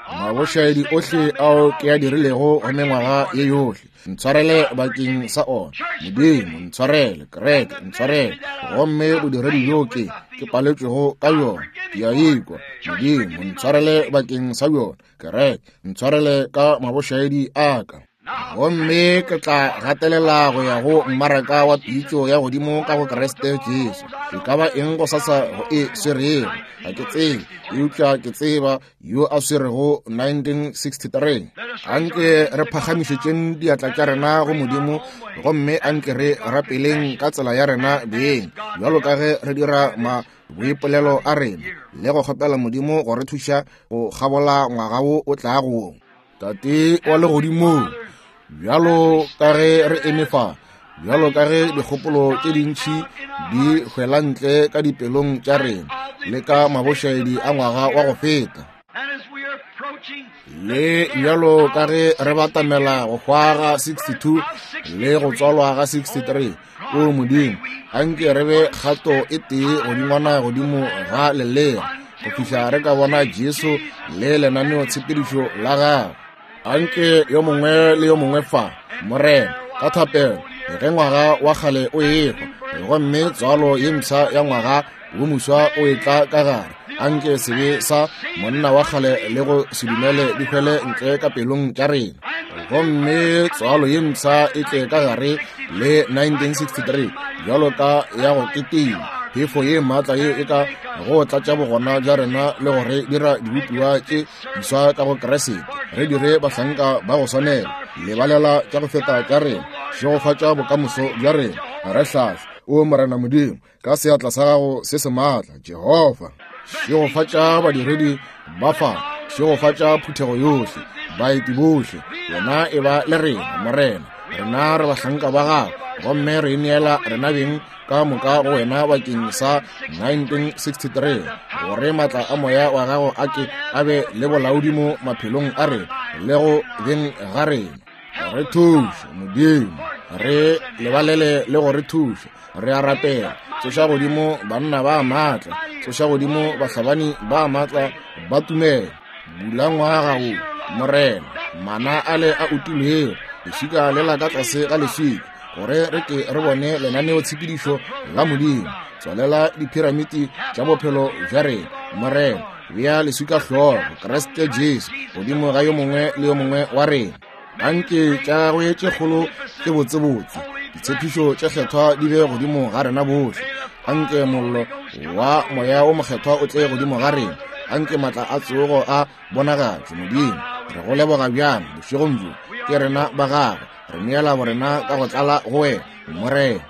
Mabošaedi ohle ao ke a dirilego go mengwaga ye yohle, ntshwarele bakeng sa ona. Modimo, ntshwarele. Kereke, ntshwarele. Gomme bodiredi bjo ke ke paletšwego ka bjona, ke a ikwa. Modimo, ntshwarele bakeng sa bjona. Kereke, ntshwarele ka mabošaedi a ka. Gomme ke tla gatelela go ya go mmaraka wa pitšo ya godimo ka go Kriste Jesu. E ka ba eng go sasa go e swerego, ga ke tsebe, eupša ke tseba yo a swerego nineteen sixty-three. Anke re phagamišetšeng diatla tša rena go Modimo, gomme anke re rapeleng ka tsela ya rena beng, bjalo ka ge re dira ma boipolelo a rena, le go kgopela Modimo go re thuša go kgabola ngwaga wo o tlago. Tate wa legodimong, bjalo ka ge re eme fa, bjalo ka ge dikgopolo tše dintši di hwela ntle ka dipelong tša rena le ka mabošaedi a ngwaga wa go feta, le bjalo ka ge re batamela go hwa ga sixty-two le go tswalwa ga sixty-three, o Modimo, anke re be kgato e tee godingwana godimo ga lelea go fihla re ka bona Jesu le lenaneotshepedišo la gagwe. Anke yo mongwe le yo mongwe fa, Morena, ka thapelo, ge ngwaga wa kgale o ehwa gomme tswalo ye mpsha ya ngwaga wo moswa o etla ka gare, anke sebe sa monna wa kgale le go se dumele di hwele ntle ka pelong tša rena, gomme tswalo ye mpsha e tle ka gare le nineteen sixty-three bjalo ka ya go ketima phefo ye maatla ye e ka go tlatša bogona bja rena le go re dira dibopiwa tše diswa ka go Kriste, re dire bahlanka ba go swanela, lebalela tša go feta tša rena, šegofatša bokamoso bja rena. Re hlahle, o Morena Modimo, ka seatla sa gago se se maatla, Jehofa. Šegofatša badiredi ba fa, šegofatša phuthego yohle, baeti bohle, wena e ba le rena, Morena. Rena re bahlanka ba gago, gomme re neela rena beng ka moka go wena bakeng sa nineteen sixty-three, gore maatla a moya wa gago a ke a be le bolaodi mo maphelong a rena le go beng ga rena. Re thuše, Modimo, re lebalele le go re thuša. Re a rapela, tsoša godimo banna ba maatla, tsoša godimo bahlabani ba maatla ba tumelo. Bula ngwaga wo, Morena, mana ale a utilwego, lešika lela ka tlase ga leswika, gore re ke re bone lenaneotshepedišo la Modimo. Tswalela diphiramiti tša bophelo bja rena, Morena. Bea leswika hlogo, Kriste Jesu, godimo ga yo mongwe le yo mongwe wa rena. Anke tša gagwe tše kgolo tše botsebotse, ditshepišo tše kgethwa di be godimo ga rena bohle. Anke mollo wa moya o mokgethwa o tle godimo ga rena. Anke maatla a tsogo a bonagatšwe. Modimo, re go leboga bjang bošegong bjo, ke rena ba gago, re neela borena ka go tlala go wena, Morena.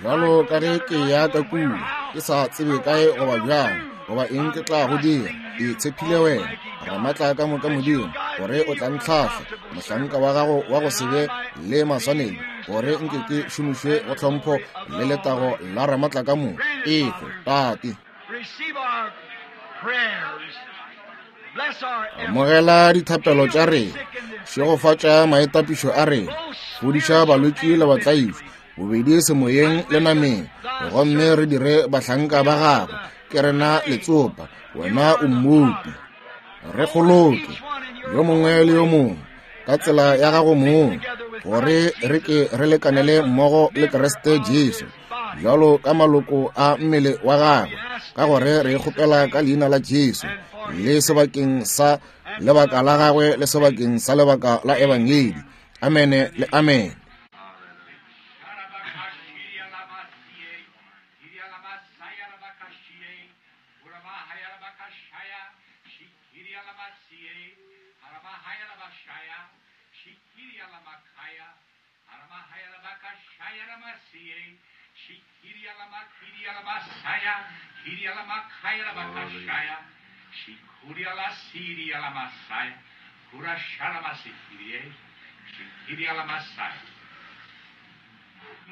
Bjalo ka ge ke ya ka kua, ke sa tsebe kae goba bjang goba eng ke tla go dira, ke tshepile wena, Ramaatla ka moka Modimo, gore o tla ntlhahla, mohlanka wa gago wa go se be le maswanedi, gore nke ke šomišwe go tlhompho le letago la Ramaatla ka moka. Efe, Tate. Amogela dithapelo tša rena, šegofatša maitapišo a rena, fodiša balwetši le batlaišwa, bobedi semoyeng le nameng, gomme re dire bahlanka ba gago. Ke rena letsopa, wena o mmopi. Re kgoloke yo mongwe le yo mongwe ka tsela ya gago mong, gore re ke re lekanele mmogo le Kriste Jesu, bjalo ka maloko a mmele wa gagwe, ka gore re kgopela ka leina la Jesu, le sebakeng sa lebaka la gagwe le sebakeng sa lebaka la Ebangedi. Amene le amene.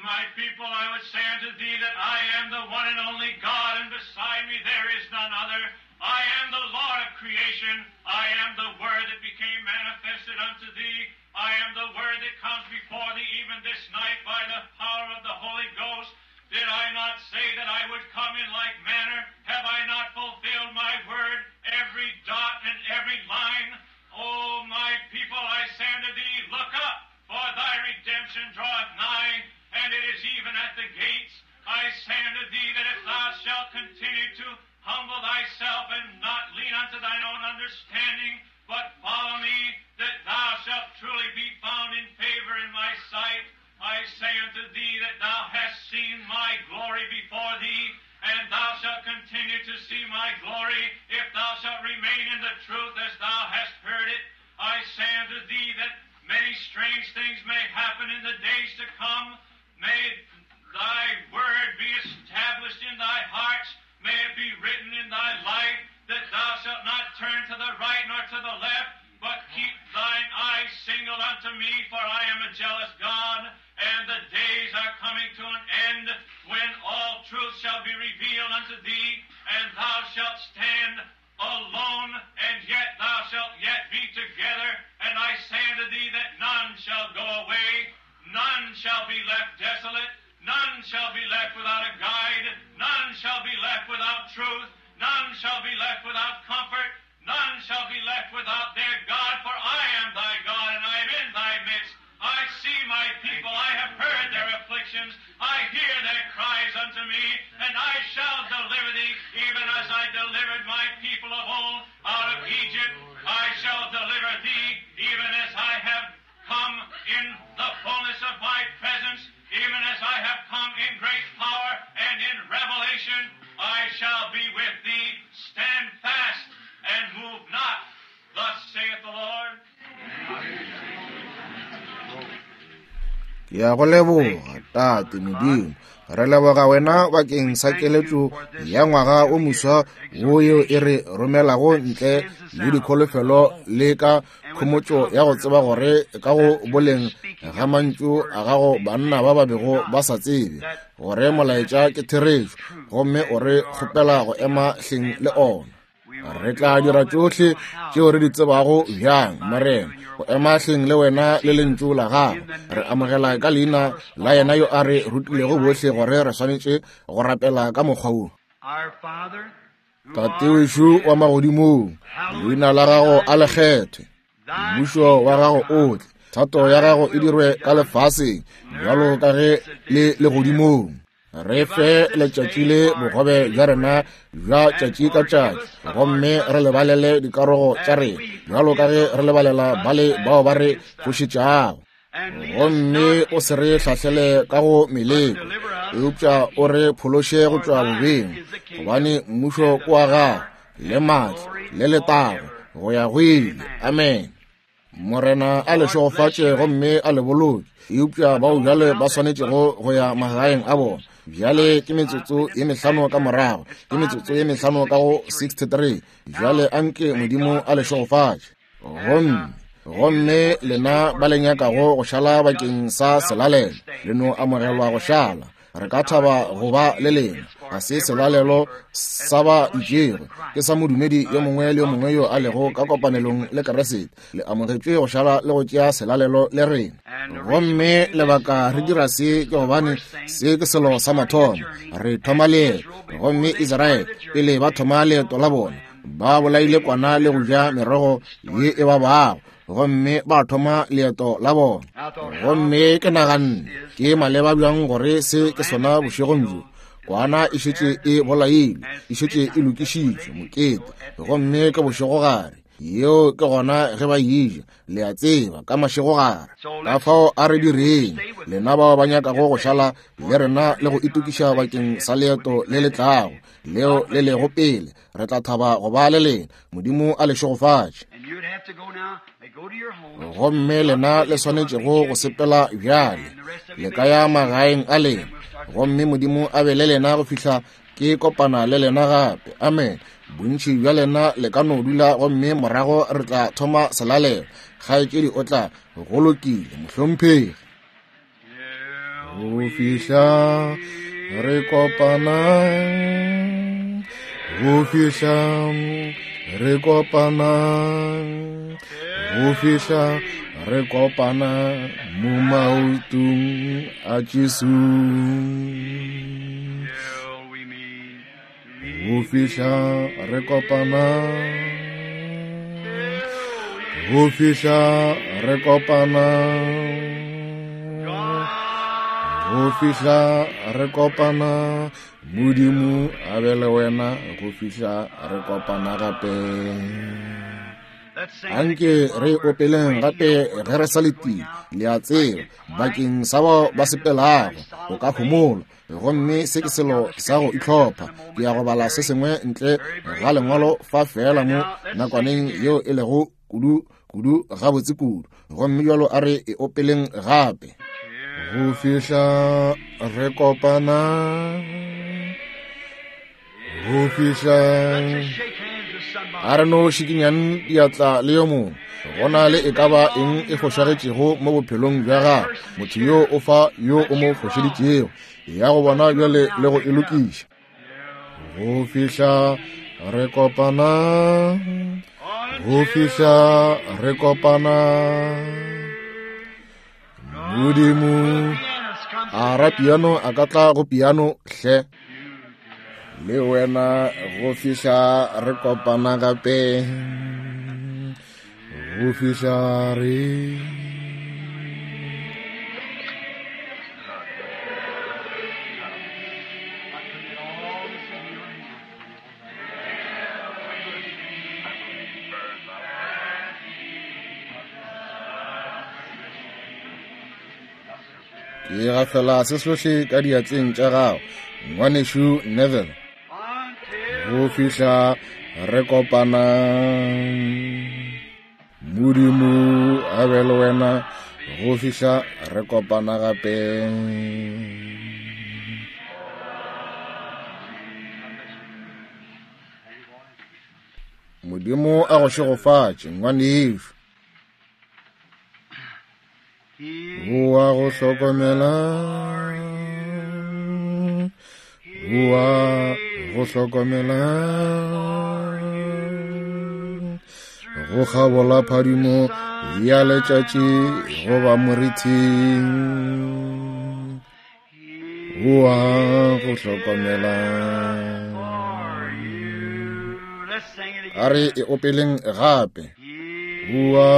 My people, I would say unto thee that I am the one and only God, and beside me there is none other. I am the Lord of creation. I am the Word that became manifested unto thee. I am the Word that comes before thee even this night by the power of the Holy Ghost. Did I not say that I would come in like manner? Have I not fulfilled my word, every dot and every line? thine own understanding, but follow me, that thou shalt truly be found in favor in my sight. I say unto thee that thou hast seen my glory before thee, and thou shalt continue to see my glory, if thou shalt remain in the truth as thou hast heard it. I say unto thee that many strange things may happen in the days to come. May thy word be established in thy hearts. May it be written in thy life, that thou shalt not turn to the right nor to the left, but keep thine eyes single unto me, for I am a jealous God, and the days are coming to an end when all truth shall be revealed unto thee, and thou shalt stand alone, and yet thou shalt yet be together. And I say unto thee that none shall go away, none shall be left desolate, none shall be left without a guide, none shall be left without truth, none shall be left without comfort, none shall be left without their God, for I am thy God, and I am in thy midst. I see my people, I have heard their afflictions, I hear their cries unto me, and I shall deliver thee, even as I delivered my people of old out of Egypt. I shall deliver thee, even as I have come in the fullness of my presence, even as I have come in great power and in revelation. I shall be with thee. Stand fast and move not. Thus saith the Lord. Ke ya go leboga, Tate Modimo. Re leboga wena bakeng sa keletšo ya ngwaga o moswa wo yeo e re romelago ntle le dikholofelo le ka khomotšo ya go tseba gore ka go boleng ga mantšu a gago banna ba ba bego ba sa tsebe gore molaetša ke therešo, gomme o re kgopela go ema hleng le ona. Re tla dira tšohle tšeo re di tsebago bjang, Morena, go ema hleng le wena le lentšu la gago. Re amogela ka leina la yena yo a re rutilego bohle gore re swanetše go rapela ka mokgwa wo. Tate wešo wa magodimong, leina la gago a le kgethwe, mmušo wa gago o tle, thato ya gago e dirwe ka lefaseng bjalo ka ge le legodimong. Re fe letšatši le bogobe bja rena bja tšatši ka tšatši, gomme re lebalele dikarogo tša rena bjalo ka ge re lebalela bale bao ba re fošetšago. Gomme o se re hlahlele ka go meleko, eupša o re phološe go tšwa bobeng, gobane mmušo ke wa gago, le maatla, le letago, go ya go ile. Amen. Morena a le šegofatše gomme a le boloke, eupša bao bjale ba swanetšego go ya magaeng a bona. Bjale ke metsotso ye mehlano ka morago, ke metsotso ye mehlano ka go sixty-three. Bjale anke Modimo a le šegofatše. Gomme gomme lena ba le nyakago go šala bakeng sa selalelo, le no amogelwa go šala. Re ka thaba go ba le lena. Ga se selalelo sa ba itšego, ke sa modumedi yo mongwe le yo mongwe yo a lego ka kopanelong le Keresete. Le amogetšwe go šala le go tšea selalelo le rena. Gomme lebaka re dira se ke gobane se ke selo sa mathomo. Re thoma leeto, gomme Israele pele ba thoma leeto la bona, ba bolaile kwana le go ja merogo ye e babago, gomme ba thoma leeto la bona. Gomme ke naganne ke maleba bjang gore se ke sona bošegong bjo. Kwana e šetše e bolailwe, e šetše e lokišitšwe mokete, gomme ke bošegogare. Yeo ke gona ge ba eja, le a tseba, ka mašegogare. Ka fao a re direng, lena bao ba nyakago go šala le rena le go itokiša bakeng sa leeto le le tlago, leo le lego pele, re tla thaba go ba le lena. Modimo a le šegofatše. Gomme lena le swanetšego go sepela bjale, le ka ya magaeng a lena, gomme Modimo a be le lena go fihla ke kopana le lena gape. Amen. Bontši bja lena le ka no dula, gomme morago re tla thoma selalelo. Kgaetšedi o tla go lokile, mohlomphegi. Go fihla re kopana, go fihla re kopana, go fihla re kopana mo maotong a Jesu. Go fihla re kopana, go fihla re kopana, Go fihla re kopana, Modimo a be le wena go fihla re kopana gape. Anke re opeleng gape ge re sa letile, le a tseba, bakeng sa bao ba sepelago o ka homola. Gomme se ke selo sa go itlhopha. Ke ya go bala se sengwe ntle ga lengwalo fa fela mo nakwaneng yeo e lego kudu kudu gabotse kudu. Gomme jalo a re e opeleng gape. Go fihla re kopana, go fihla a re no šikinyang diatla le yo mongwe. Go na le e ka ba eng e fošagetšego mo bophelong bja gago, motho yo o fa yo o mo fošeditšego, ya go bona bjale le go e lokiša. Go fihla re kopana, go fihla re kopana, Modimo a ra piano a ka tla go piano hle. Le wena go fihla re kopana gape, go fihla re. Ke gafela se sohle ka diatleng tša gago, ngwanešu Neville. Go fihla re kopana, Modimo a be le wena go fihla re kopana gape. Modimo a go šegofatše, ngwanešu. Boa go hlokomela, boa go hlokomela, go kgabola phadimo ya letšatši goba morithing. Boa go hlokomela. A re e opeleng gape. Boa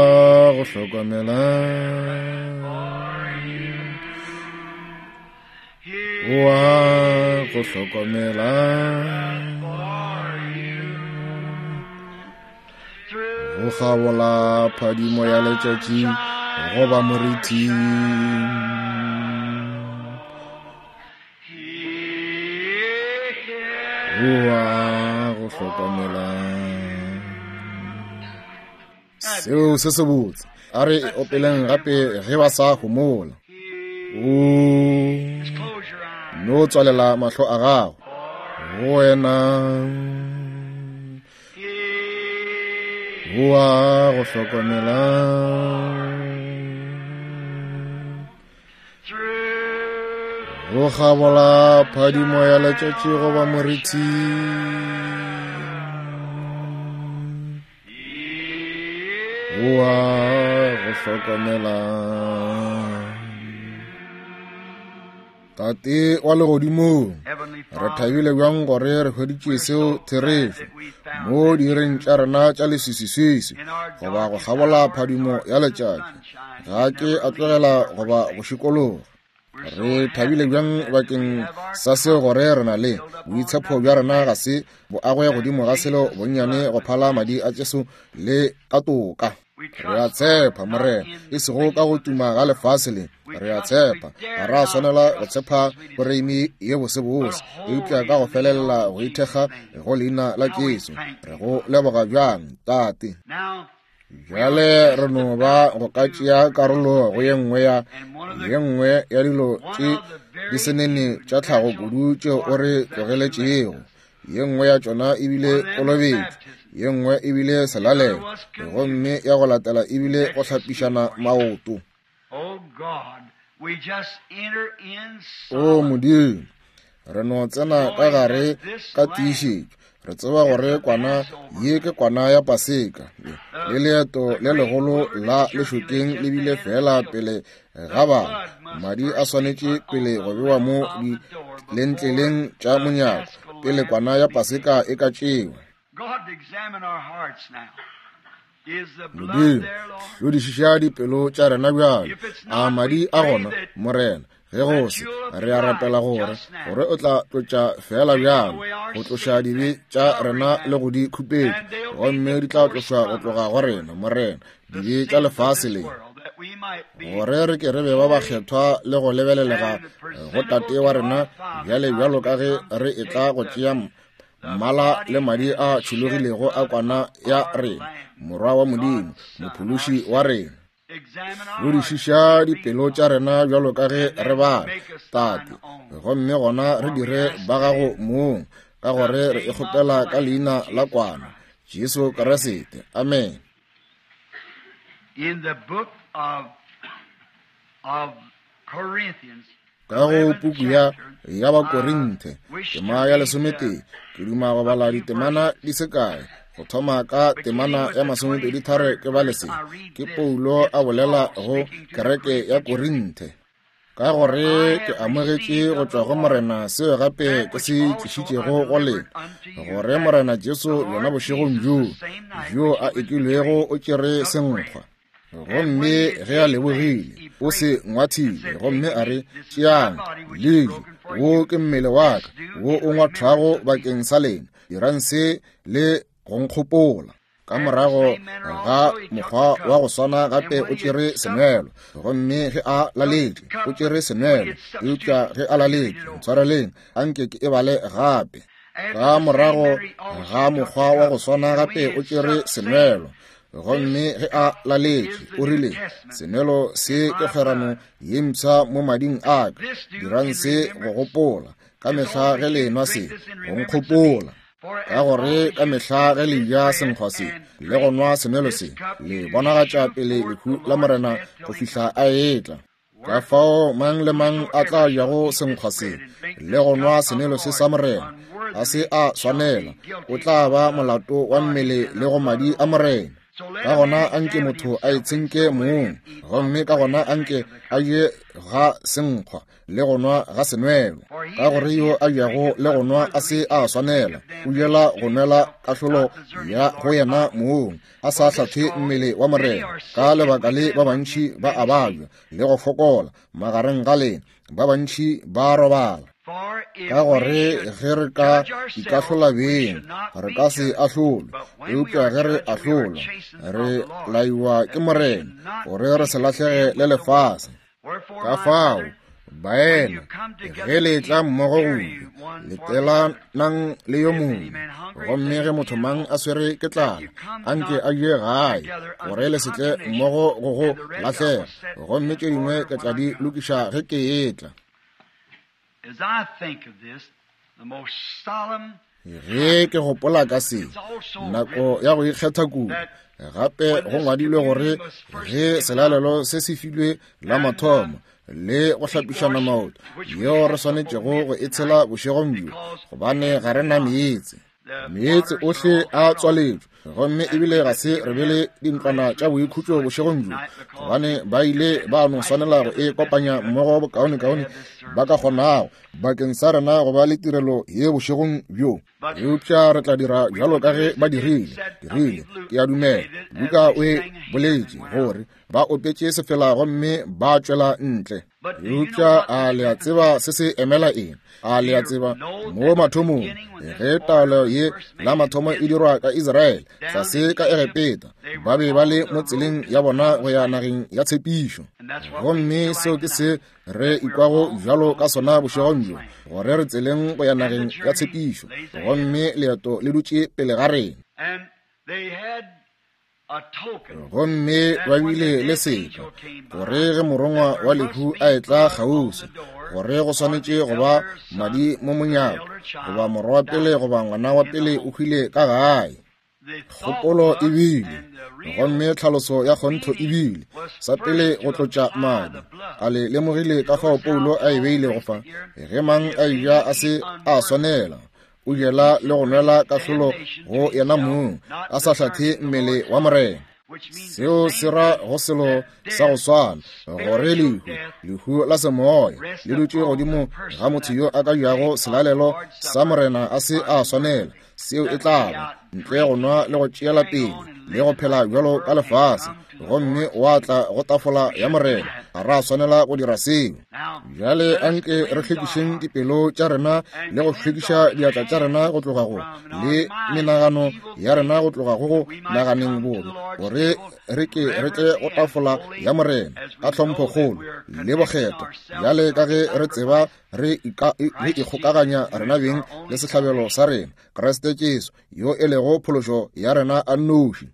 go hlokomela, boa go hlokomela, go kgabola phadimo ya letšatši goba morithing. Boa go hlokomela. Seo se se botse. A re opeleng gape ge ba sa homola. O no tswalela mahlo a gago. Go wena boa go hlokomela, go kgabola phadimo ya letšatši goba moriti. Boa go hlokomela. Tate wa legodimong, re thabile bjang gore re hweditše seo therešo mo direng tša rena tša leswiswiswiswi goba go kgabola phadimo ya letšatši. Ga ke a tlogela goba go šikologa. Re thabile bjang bakeng sa seo gore re na le boitshepo bja rena ga se bo agwe godimo ga selo bonnyane go phala madi a Jesu le ka toka. Re a tshepa, Morena, e sego ka go tuma ga lefase le. Re a tshepa, ga ra swanela go tshepa poreimi ye bosebose, eupša ka go felela go ithekga go leina la Jesu. Re go leboga bjang, Tate. Bjale re no ba go ka tšea karolo go ye nngwe ya ye nngwe ya dilo tše di senene tša tlhago kudu tšeo o re tlogeletšego. Ye nngwe ya tšona ebile kolobetšo, ye nngwe ebile selalelo, gomme ya go latela ebile go hlapišana maoto. O Modimo, re no tsena ka gare ka tiišetšo. Re tseba gore kwana ye ke kwana ya Paseka, le leeto le legolo la lešokeng le bile fela pele ga bana. Madi a swanetše pele go bewa mo dilentleleng tša monyako pele kwana ya Paseka e ka tšewa. Modimo, hlodišiša dipelo tša rena bjale. A madi a gona, Morena? Ge go se, re a rapela gore gore o tla tlotša fela bjalo go tloša dibe tša rena le go di khupetša, gomme di tla tlošwa go tloga go rena, Morena, dibe tša lefase le, gore re ke re be ba bakgethwa le go lebelelega go Tate wa rena bjale bjalo ka ge re etla go tšea mmala le madi a tšhologilego a kwana ya rena, Morwa wa Modimo, Mophološi wa rena. Lodišiša dipelo tša rena bjalo ka ge re bala, Tate, gomme gona re dire ba gago mong, ka gore re e kgopela ka leina la kwana, Jesu Kriste. Amen. In the book of, of Corinthians, ka go puku ya ya Bakorinthe tema ya lesometee, ke duma go bala ditemana di se kae, go thoma ka temana ya masomepedi tharo ke bale se. Ke Paulo a bolela go kereke ya Korinthe. Ka gore ke amogetše go tšwa go Morena seo gape ke se tlišitšego go lena, gore Morena Jesu yona bošegong bjoo bjo a ekilwego o tšere senkgwa, gomme ge a lebogile o se ngwathile, gomme a re, tšeang le je, wo ke mmele wa ka wo o ngwathwago bakeng sa lena, dirang se le go nkgopola. Ka morago ga mokgwa wa go swana gape o tšere senwelo, gomme ge a laletše o tšere senwelo, eupša ge a laletše, ntshwareleng, anke ke e bale gape. Ka morago ga mokgwa wa go swana gape o tšere senwelo, gomme ge a laletše o rile, senwelo se ke kgwerano ye mpsha mo mading a ka, dirang se go gopola ka mehla ge le enwa se, go nkgopola. Ka gore ka mehla ge le ja senkgwa se le go nwa senwelo se, le bonagatša pele lehu la Morena go fihla a etla. Ka fao mang le mang a tla jago senkgwa se le go nwa senwelo se sa Morena a se a swanela, o tla ba molato wa mmele le go madi a Morena. Ka gona anke motho a itshenke mong, gomme ka gona anke a je ga senkgwa le go nwa ga senwelo. Ka gore yo a jago le go nwa a se a swanela, o jela go nwela kahlolo ya go yena mong, a sa hlathe mmele wa Morena. Ka lebaka le ba bantši ba a babja le go fokola magareng ga lena, ba bantši ba robala. Ka gore ge re ka ikahlola beng, re ka se ahlolwe, eupša ge re ahlolwa, re laiwa ke Morena, gore re se lahlege le lefase. Ka fao, baena, ge le tla mmogo go ja, letelanang le yo mongwe, gomme ge motho mang a swere ke tlala, anke a je gae, gore le se tle mmogo go go lahlega, gomme tše dingwe ke tla di lokiša ge ke etla. As I think of this, the most solemn Ge ke gopola ka se, nako ya go ikgetha kudu, gape go ngwadilwe gore ge selalelo se se filwe la mathomo le go hlapišana maoto, yeo re swanetšego go e tshela bošegong bjo, gobane ga re na meetse. Meetse ohle a tswaletšwe, gomme ebile ga se re be le dintlwana tša boikhutšo bošegong bjo, gobane ba ile ba no swanela go e kopanya mmogo bokaonekaone ba ka kgonago bakeng sa rena go ba le tirelo ye bošegong bjo. Eupša re tla dira bjalo ka ge ba dirile, dirile, ke a dumela Luka o e boletše gore ba opetše sefela gomme ba tšwela ntle. Eupša a le a tseba se se emela eng? A le a tseba mo mathomong ge taolo ye la mathomo e dirwa ka Israele tlase ka Egepeta, ba be ba le mo tseleng ya bona go ya nageng ya tshepišo. Gomme seo ke se re ikwago bjalo ka sona bošegong bjo, gore re tseleng go ya nageng ya tshepišo, gomme leeto le dutše pele ga rena. Gomme ba bile le seka, gore ge morongwa wa lehu a etla kgauswi, gore go swanetše go ba madi mo monyako, goba morwa wa pele goba ngwana wa pele o hwile ka gae. Kgopolo e bile, gomme tlhaloso ya kgontho e bile, sa pele go tlotša madi. A le lemogile ka fao Paulo a e beilego fa? Ge mang a eja a se a swanela, o jela le go nwela kahlolo go yena mong, a sa hlathe mmele wa Morena. Seo se ra go selo sa go swana, gore lehu, lehu la semoya, le dutše godimo ga motho yo a ka jago selalelo sa Morena a se a swanela. Seo e tla ba ntle go nwa le go tšeela pele le go phela bjalo ka lefase, gomme wa tla go tafola ya Morena Ga ra swanela go dira seo. Bjale anke re hlwekišeng dipelo tša rena le go hlwekiša diatla tša rena go tloga go le menagano ya rena go tloga go go naganeng bobe, gore re ke re tle go tafola ya Morena ka tlhomphokgolo le bokgethwa, bjale ka ge re tseba re ikgokaganya rena beng le sehlabelo sa rena, Kriste Jesu, yo e lego phološo ya rena a nnoši.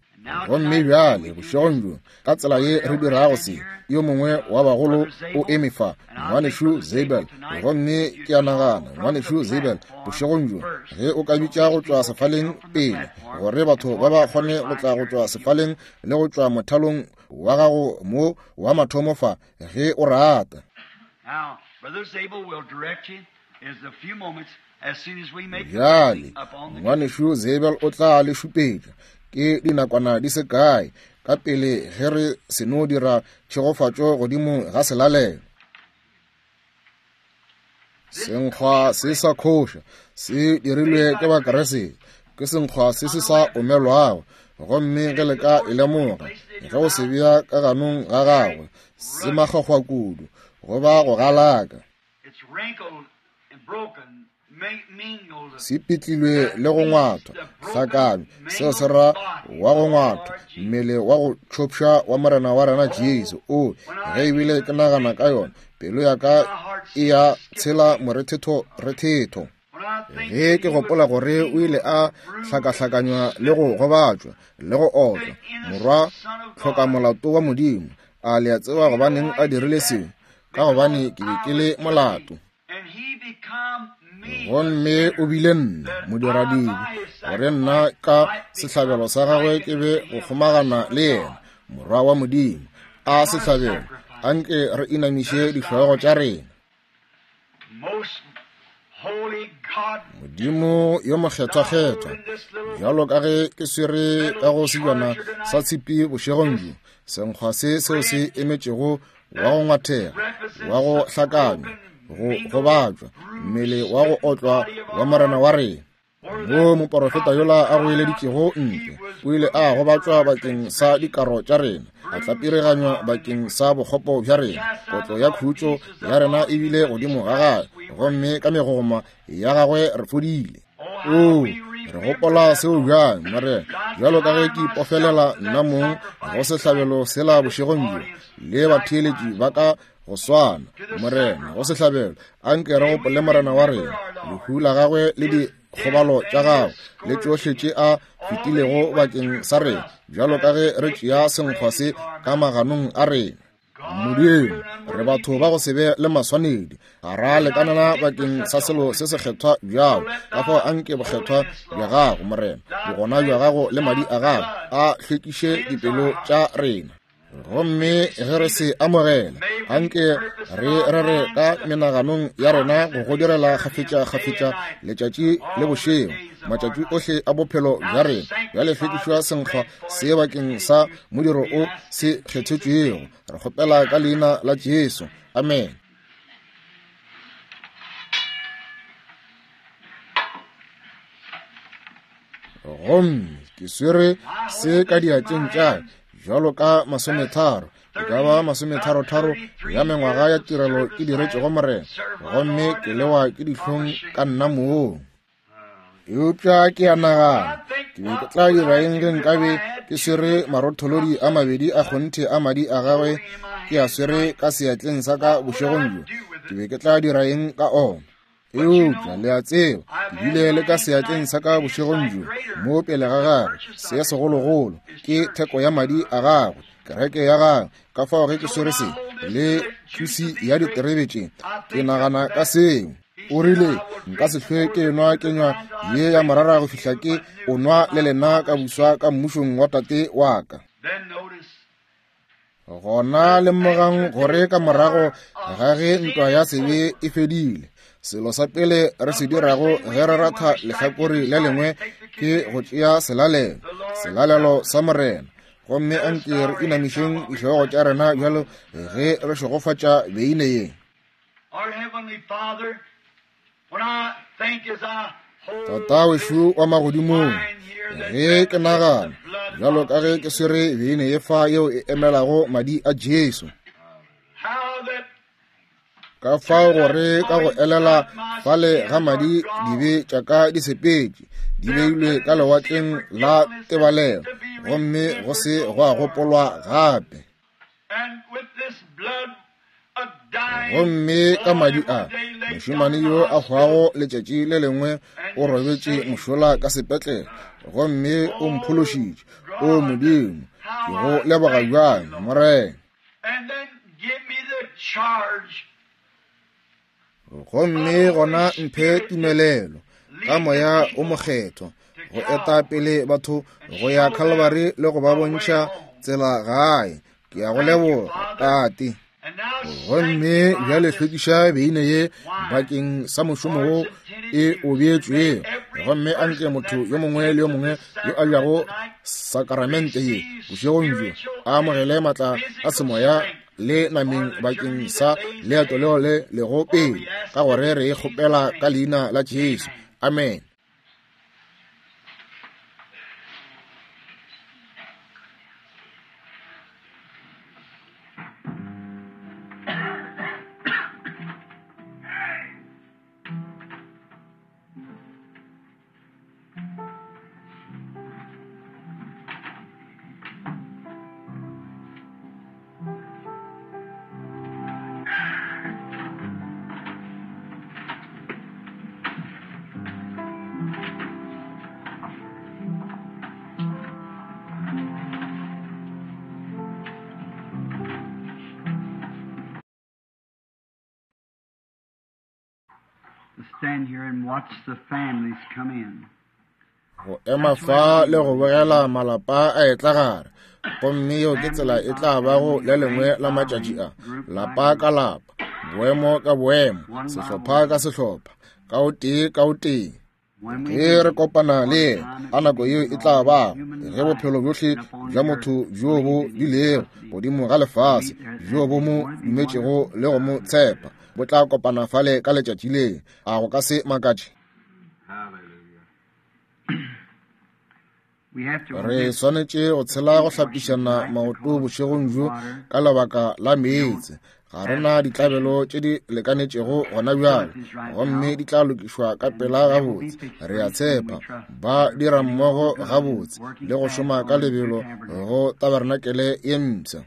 Gomme bjale bošegong bjo, ka tsela ye re dirago se, yo mongwe wa bagolo o eme fa, ngwanešu Zabel. Gomme ke a nagana, ngwanešu Zabel, bošegong bjo, ge o ka bitša go tšwa sefaleng pele, gore batho ba ba kgone go tla go tšwa sefaleng le go tšwa mothalong wa gago mo wa mathomo fa, ge o rata. Bjale ngwanešu Zabel o tla le šupetša ke dinakwana di se kae ka pele ge re seno dira tšhegofatšo godimo ga selalelo. Senkgwa se sa khoša se dirilwe ke Bakeresete, ke senkgwa se se sa omelwago, gomme ge le ka e lemoga, ge o se bea ka ganong ga gagwe, se makgwakgwa kudu goba go galaka. Se pitlilwe le go ngwathwa hlakanywa, seo se ra wa go ngwathwa, mmele wa go tšhopša wa Morena wa rena Jesu. O ge ebile ke nagana ka yona, pelo ya ka e ya tshela morethetho rethetho. Ge ke gopola gore o ile a hlakahlakanywa le go gobatšwa le go otlwa, morwa tlhokamolato wa Modimo, a le a tseba gobaneng a dirile seo? Ka gobane ke be ke le molato. Gomme o bile nna modiradibe, gore nna ka sehlabelo sa gagwe ke be go kgomagana le yena, morwa wa Modimo. A sehlabelo, anke re inamiše dihlogo tša rena. Modimo yo mokgethwa-kgethwa, bjalo ka ge ke swere ka go sebjana sa tshipi bošegong bjo, senkgwa se seo se emetšego wa go ngwathega, wa go hlakanywa, go gobatšwa, mmele wa go otlwa wa Morena wa rena. Mo moporofeta yola a goeleditšego ntle, o ile a gobatšwa bakeng sa dikaro tša rena, a tlapireganywa bakeng sa bokgopo bja rena. Kotlo ya khutšo ya rena e bile godimo ga gagwe, gomme ka megogoma ya gagwe re fodile. O re gopola seo bjang, Morena, bjalo ka ge ke ipofelela nna mong go sehlabelo sela bošegong bjo, le batheeletši ba ka go swana, Morena, go sehlabelo. Anke re gopole Morena wa rena, lehu la gagwe le dikgobalo tša gagwe le tšohle tše a fetilego bakeng sa rena, bjalo ka ge re tšea senkgwa se ka maganong a rena. Modimo, re batho ba go se be le maswanedi, ga ra lekanela bakeng sa selo se sekgethwa bjalo. Ka fao anke bokgethwa bja gago, Morena, bogona bja gago le madi a gago a hlwekiše dipelo tša rena. Gomme ge re se amogela, anke re rere ka menaganong ya rena go go direla kgafetša-kgafetša letšatši le bošego, matšatši ohle a bophelo bja rena. Bjale hlwekišwa senkgwa se bakeng sa modiro o se kgethetšwego. Re kgopela ka leina la Jesu. Amen. Gomme ke swere se ka diatleng tša bjalo ka masometharo, e ka ba masometharotharo ya mengwaga ya tirelo ke diretšego Morena, gomme ke lewa ke dihlong ka nna mong. Eupša ke a nagana, ke be ke tla dira eng ge nkabe ke swere marotholodi a mabedi a kgonthe a madi a gagwe ke a swere ka seatleng sa ka bošegong bjo? Ke be ke tla dira eng ka ona? Eupša le a tseba, ke bile le ka seatleng sa ka bošegong bjo, mo pele ga gagwe, se segologolo ke theko ya madi a gagwe, kereke ya gagwe. Ka fao ge ke swere se le thusi ya diterebe tše, ke nagana ka seo. O rile, nka se hlwe ke nwa kenywa ye ya morara go fihla ke o nwa le lena ka buswa ka mmušong wa tate wa ka. Gona lemogang gore ka morago ga ge ntwa ya sebe e fedile, selo sa pele re se dirago ge re ratha lehlakore le lengwe ke go tšea selalelo, selalelo sa Morena. Gomme anke re inamišeng dihlogo tša rena bjalo ge re šegofatša beine ye. Tata wešo wa magodimong, ge ke nagana bjalo ka ge ke swere beine ye fa yeo e emelago madi a Jesu, Ka fao gore ka go elela fale ga madi dibe tša ka di sepetše, di beilwe ka lewatleng la tebalelo, gomme go se gwa gopolwa gape. Gomme ka madi a, mošemane yo a hwago letšatši le lengwe o robetše mošola ka sepetlele, gomme o mphološitše. O Modimo, ke go leboga bjang, Morena. Gomme gona mphe tumelelo ka moya o mokgethwa go eta pele batho go ya Calvary le go ba bontšha tsela gae. Ke a go leboga, Tate. Gomme bjale hlwekiša beine ye bakeng sa mošomo wo e o beetšwego, gomme anke motho yo mongwe le yo mongwe yo a jago sakramente ye bošegong bjo a amogele maatla a semoya le nameng bakeng sa leeto leo le lego pele, ka gore re e kgopela ka leina la Jesu. Amen. Stand here and watch the families come in. Go ema fa le go bogela malapa a etla gare, gomme yeo ke tsela e tla bago le lengwe la matšatši a, lapa ka lapa, boemo ka boemo, sehlopha ka sehlopha, ka o tee ka o tee. Ge re kopana le yena, a nako yeo e tla bago ge bophelo bjohle bja motho bjo bo bilego godimo ga lefase, bjo bo mo dumetšego le go mo tshepa, bo tla kopana fale ka letšatši le. A go ka se makatše? Re swanetše go tshela go hlapišana maoto bošegong bjo ka lebaka la meetse. Ga re na ditlabelo tše di lekanetšego gona bjale, gomme di tla lokišwa ka pela gabotse. Re a tshepa ba dira mmogo gabotse le go šoma ka lebelo go tabernakele ye mpsha.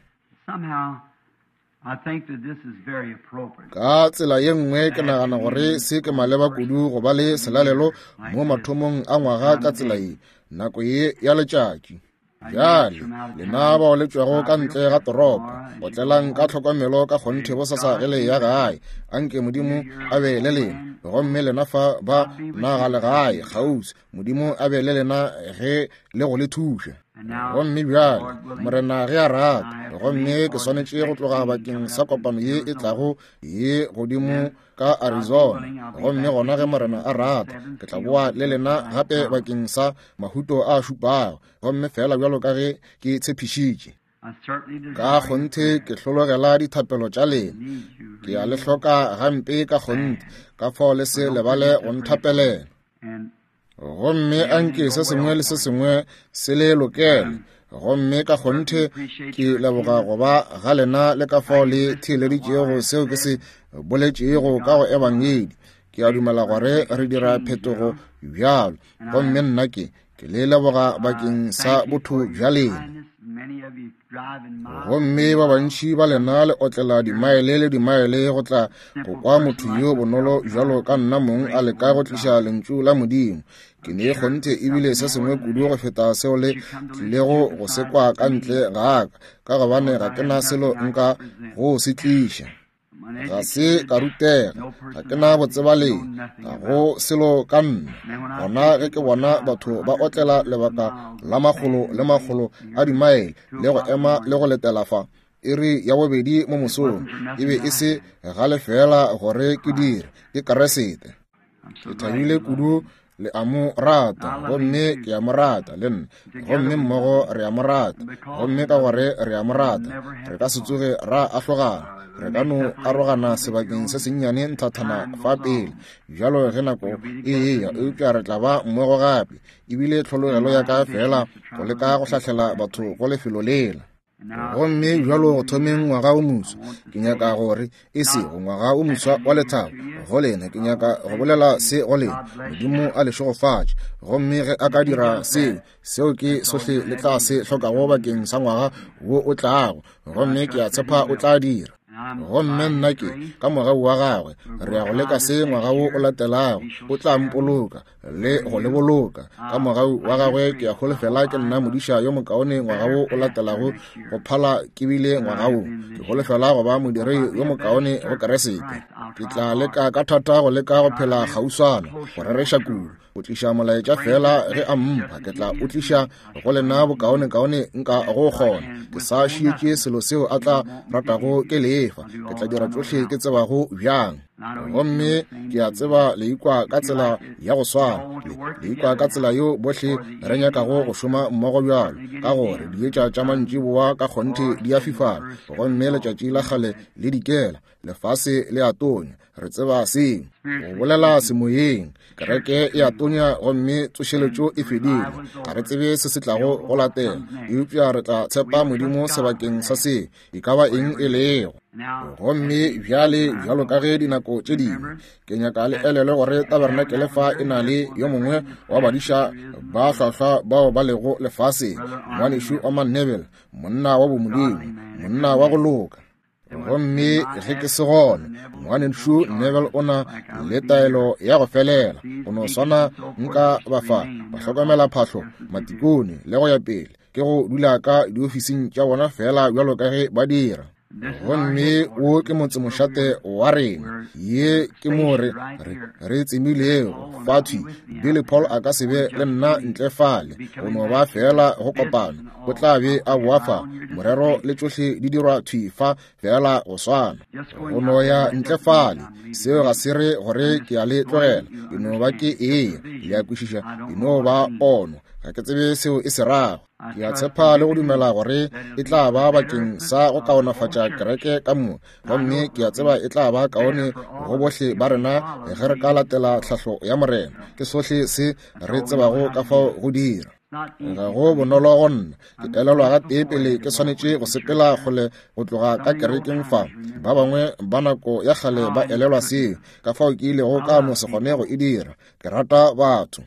Ka tsela ye nngwe ke nagana gore se ke maleba kudu go ba le selalelo mo mathomong a ngwaga ka tsela ye, nako ye ya letšatši. Bjale lena bao le tšwago ka ntle ga toropo, otlelang ka tlhokomelo ka kgonthe bosasa ge le ya gae. Anke Modimo a be le lena, gomme lena fa ba naga legae kgauswi, Modimo a be le lena ge le go le thuša. Gomme bjale Morena ge a rata, gomme ke swanetše go tloga bakeng sa kopano ye e tlago ye godimo ka Arizona, gomme gona ge Morena a rata ke tla boa le lena gape bakeng sa mahuto a šupago, gomme fela bjalo ka ge ke tshepišitše. Ka kgonthe ke hlologela dithapelo tša lena, ke a le hloka gampe ka kgonthe, ka fao le se lebale go nthapelela. Gomme anke se sengwe le se sengwe se le lokele, gomme ka kgonthe ke leboga go ba ga lena le ka fao le theeleditšego seo ke se boletšego ka go ebangedi. Ke a dumela gore re dira phetogo bjalo, gomme nna ke ke le leboga bakeng sa botho bja lena. Gomme ba bantši ba lena le otlela dimaele le dimaele go tla go kwa motho yo bonolo bjalo ka nna mong a leka go tliša lentšu la Modimo. Ke ne kgonthe ebile se sengwe kudu go feta seo le tlilego go se kwa ka ntle ga ka, ka gobane ga ke na selo nka go se tliša. Ga se ka rutega, ga ke na botsebaleng, ga go selo ka nna. Gona ge ke bona batho ba otlela lebaka la makgolo le makgolo a dimaele le go ema le go letela fa iri ya bobedi mo mosong, e be e se ga lefela gore ke dire, ke Keresete. Ke thabile kudu le a mo rata, gomme ke a mo rata le nna, gomme mmogo re a mo rata, gomme ka gore re a mo rata re ka se tsoge ra ahlogana. Re ka no arogana sebakeng se sennyane nthathana fa pele bjalo ge nako e eya, eupša re tla ba mmogo gape. Ebile tlhologelo ya ka fela go leka go hlahlela batho go lefelo lela. Gomme bjalo go thomeng ngwaga o moswa, ke nyaka gore e sego ngwaga o moswa wa lethabo go lena, ke nyaka go bolela se go lena, Modimo a le šegofatše. Gomme ge a ka dira seo, seo ke sohle le tla se hlokago bakeng sa ngwaga wo o tlago, gomme ke a tshepa o tla dira. Gomme nna ke ka mogau wa gagwe re ya go leka se ngwaga wo o latelago, o tla mpoloka le go le boloka. Ka mogau wa gagwe ke a holofela ke nna modiša yo mokaone ngwaga wo o latelago go phala ke bile ngwaga wo. Ke holofela go ba modiri yo mokaone go Keresete. Ke tla leka ka thata go leka go phela kgauswana, go rereša kudu, go tliša molaetša fela ge a mpha. Ke tla o tliša go lena bokaonekaone nka go kgona. Ke sa šietše selo seo a tla ratago ke lefa. Ke tla dira tšohle ke tsebago bjang. Gomme ke a tseba le ikwa ka tsela ya go swana, le ikwa ka tsela yeo bohle re nyakago go šoma mmogo bjalo, ka gore dietša tša mantšiboa ka kgonthe di a fifala, gomme letšatši la kgale le dikela, lefase le a tonya. Re tseba seo. Go bolela semoyeng, kereke e a tonya gomme tsošeletšo e fedile. Ga re tsebe se se tlago go latela, eupša re tla tshepa Modimo sebakeng sa se e ka ba eng e lego. Gomme bjale, bjalo ka ge dinako tše dingwe, ke nyaka le elelwe gore tabernacle fa e na le yo mongwe wa badiša ba hlwahlwa bao ba lego lefaseng, ngwanešu Orman Neville, monna wa bomodimo, monna wa go loka. Gomme ge ke se gona, ngwanešu Neville o na le taelo ya go felela, go no swana nka ba fa ba hlokomela phahlo, matikone le go ya pele, ke go dula ka diofising tša bona fela bjalo ka ge ba dira. Gomme wo ke motsemošate wa rena, ye ke mo re re tsemilego fa thwi. Billy Paul a ka se be le nna ntle fale, go no ba fela go kopana, o tla be a boa fa, morero le tšohle di dirwa thwi fa fela go swana. Go no ya ntle fale, seo ga se re gore ke a le tlogela, ke no ba ke eya, le a kwešiša, e no ba pono, ga ke tsebe seo e se rago. Ke a tshepa le go dumela gore e tla ba bakeng sa go kaonafatša kereke ka moka, gomme ke a tseba e tla ba kaone go bohle ba rena ge re ka latela tlhahlo ya Morena. Ke sohle se re tsebago ka fao go dira. Ga go bonolo go nna, ke elelwa gatee pele ke swanetše go sepela kgole go tloga ka kerekeng fa. Ba bangwe ba nako ya kgale ba elelwa seo, ka fao ke ilego ka no se kgone go e dira. Ke rata batho.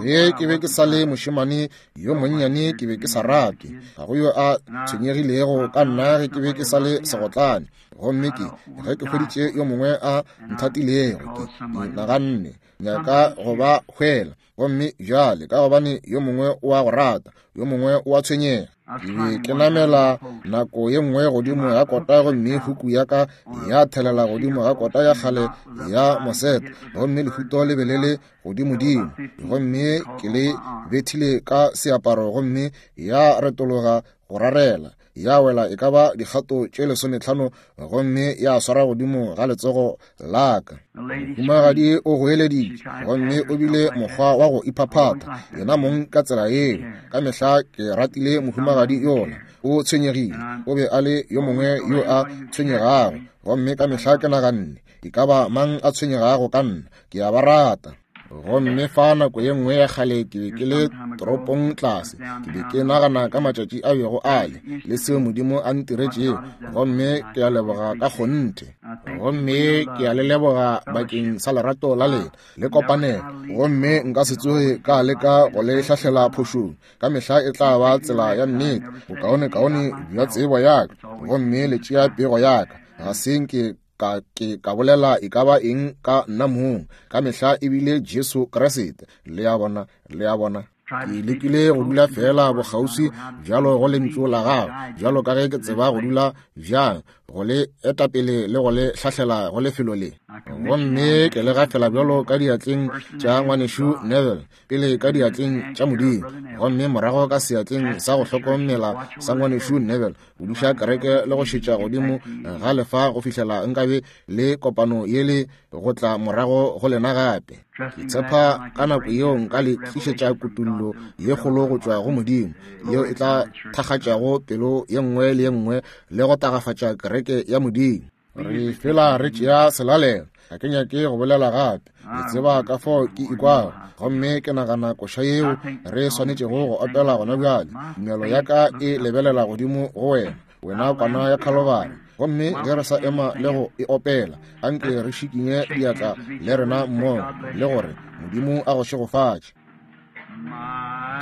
Ge ke be ke sa le mošemane yo monnyane, ke be ke sa rate, ga go yo a tshwenyegilego ka nna ge ke be ke sa le segotlane. Gomme ke ge ke hweditše yo mongwe a nthatilego, ke ke naganne nyaka go ba hwela. Gomme bjale ka gobane yo mongwe o a go rata, yo mongwe o a tshwenyega. Ke be ke namela nako ye nngwe godimo ga kota, gomme huku ya ka ya thelela godimo ga kota ya kgale ya moseta, gomme lehuto le be le le godimodimo, gomme ke le bethile ka seaparo, gomme ya retologa go rarela, ya wela e ka ba dikgato tše lesometlhano, gomme ya swara godimo ga letsogo la ka. Mohumagadi o goeleditše, gomme o bile mokgwa wa go iphaphatha yena mong ka tsela yeo. Ka mehla ke ratile mohumagadi yola, o tshwenyegile, o be a le yo mongwe yo a tshwenyegago, gomme ka mehla ke naganne e ka ba mang a tshwenyegago ka nna, ke a ba rata. Gomme fa nako ye nngwe ya kgale ke be ke le toropong tlase, ke be ke nagana ka matšatši a bego a le le seo Modimo a ntiretšego, gomme ke a leboga ka kgonthe. Gomme ke a le leboga bakeng sa lerato la lena le kopanelo, gomme nka se tsoge ka leka go le hlahlela phošong. Ka mehla e tla ba tsela ya nnete, bokaonekaone bja tsebo ya ka, gomme le tšea pego ya ka. Ga se nke ka ke ka bolela e ka ba eng ka nna mong, ka mehla ebile Jesu Kriste. Le a bona, le a bona. Ke lekile go dula fela bokgauswi bjalo go lentšu la gago, bjalo ka ge ke tseba go dula bjang, go le etapele le go le hlahlela go lefelo le. Gomme ke le gafela bjalo ka diatleng tša ngwanešu Neville, pele ka diatleng tša Modimo, gomme morago ka seatleng sa go hlokomela sa ngwanešu Neville, go duša kereke le go šetša godimo ga lefa go fihlela nkabe le kopano yele go tla morago go lena gape. Ke tshepa ka nako yeo nka le tlišetša kutullo ye kgolo go tšwa go Modimo, yeo e tla thakgatšago pelo ye nngwe le ye nngwe le go tagafatša kereke ya Modimo. Re fela re tšea selalelo. Ga ke nyake go bolela gape. Le tseba ka fao ke ikwago, gomme ke nagana koša yeo re swanetšego go opela gona bjale. Tumelo ya ka e lebelela godimo go wena, wena kwana ya Khalibari. Gomme ge re sa ema le go e opela, anke re šikinye diatla le rena mmogo, le gore Modimo a go šegofatše.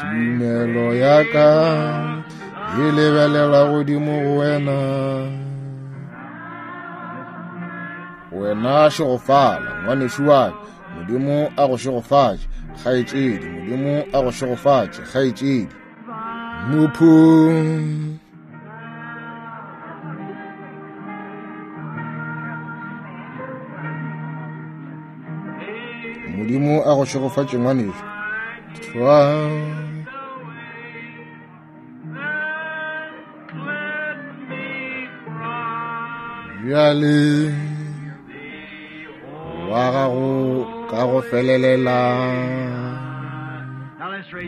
Tumelo ya ka e lebelela godimo go wena, wena šegofala ngwanešu wa ka. Modimo a go šegofatše, kgaetšedi. Modimo a go šegofatše, kgaetšedi. Mophung Modimo a go šegofatše ngwanešu. Twa bjale wa gago ka go felelela.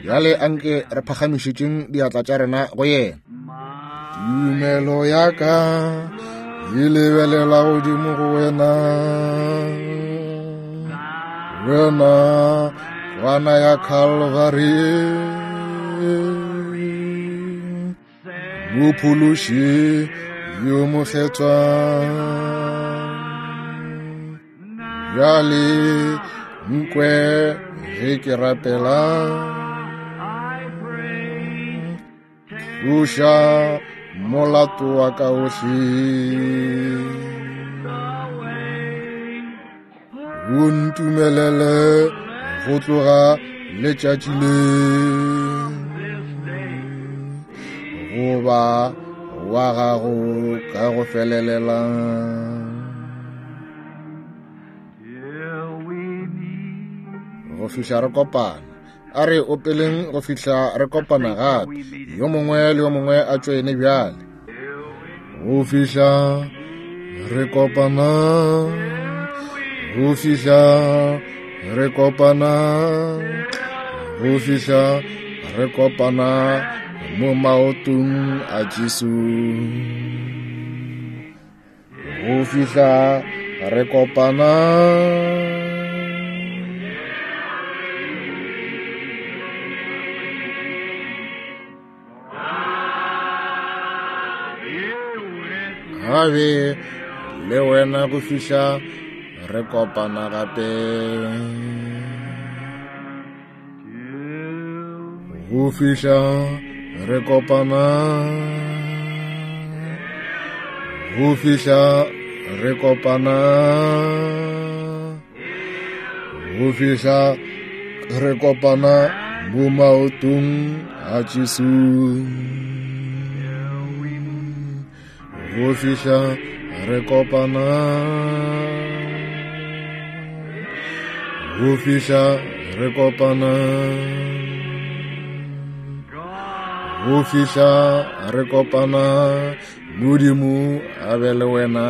Bjale anke re phagamišetšeng diatla tša rena go yena. Tumelo ya ka e lebelela godimo go wena, wena kwana ya Khalibari, Mophološi yo mokgethwa. Bjale nkwe ge ke rapela, tloša molato wa ka ohle, o ntumelele go tloga letšatši le goba wa gago ka go felelela. Go fihla re kopana, a re opeleng go fihla re kopana gape. Yo mongwe le yo mongwe a tšoene bjale. Go fihla re kopana, go fihla re kopana, go fihla re kopana mo maotong a Jesu. Go fihla re kopana. Gabe le wena go fihla re kopana gape. Go fihla re kopana, go fihla re kopana, go fihla re kopana mo maotong a Jesu. Go fihla re kopana, go fihla re kopana, go fihla re kopana. Modimo a be le wena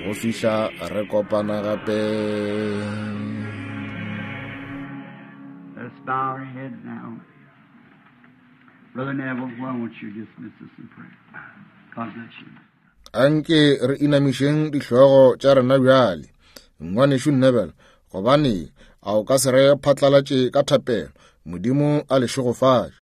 go fihla re kopana gape. Let's bow our heads now. Brother Neville, why won't you dismiss us in prayer? God bless you. Anke re inamišeng dihlogo tša rena bjale. Ngwanešu Neville, gobane a o ka se re phatlalatše ka thapelo. Modimo a le šegofatše.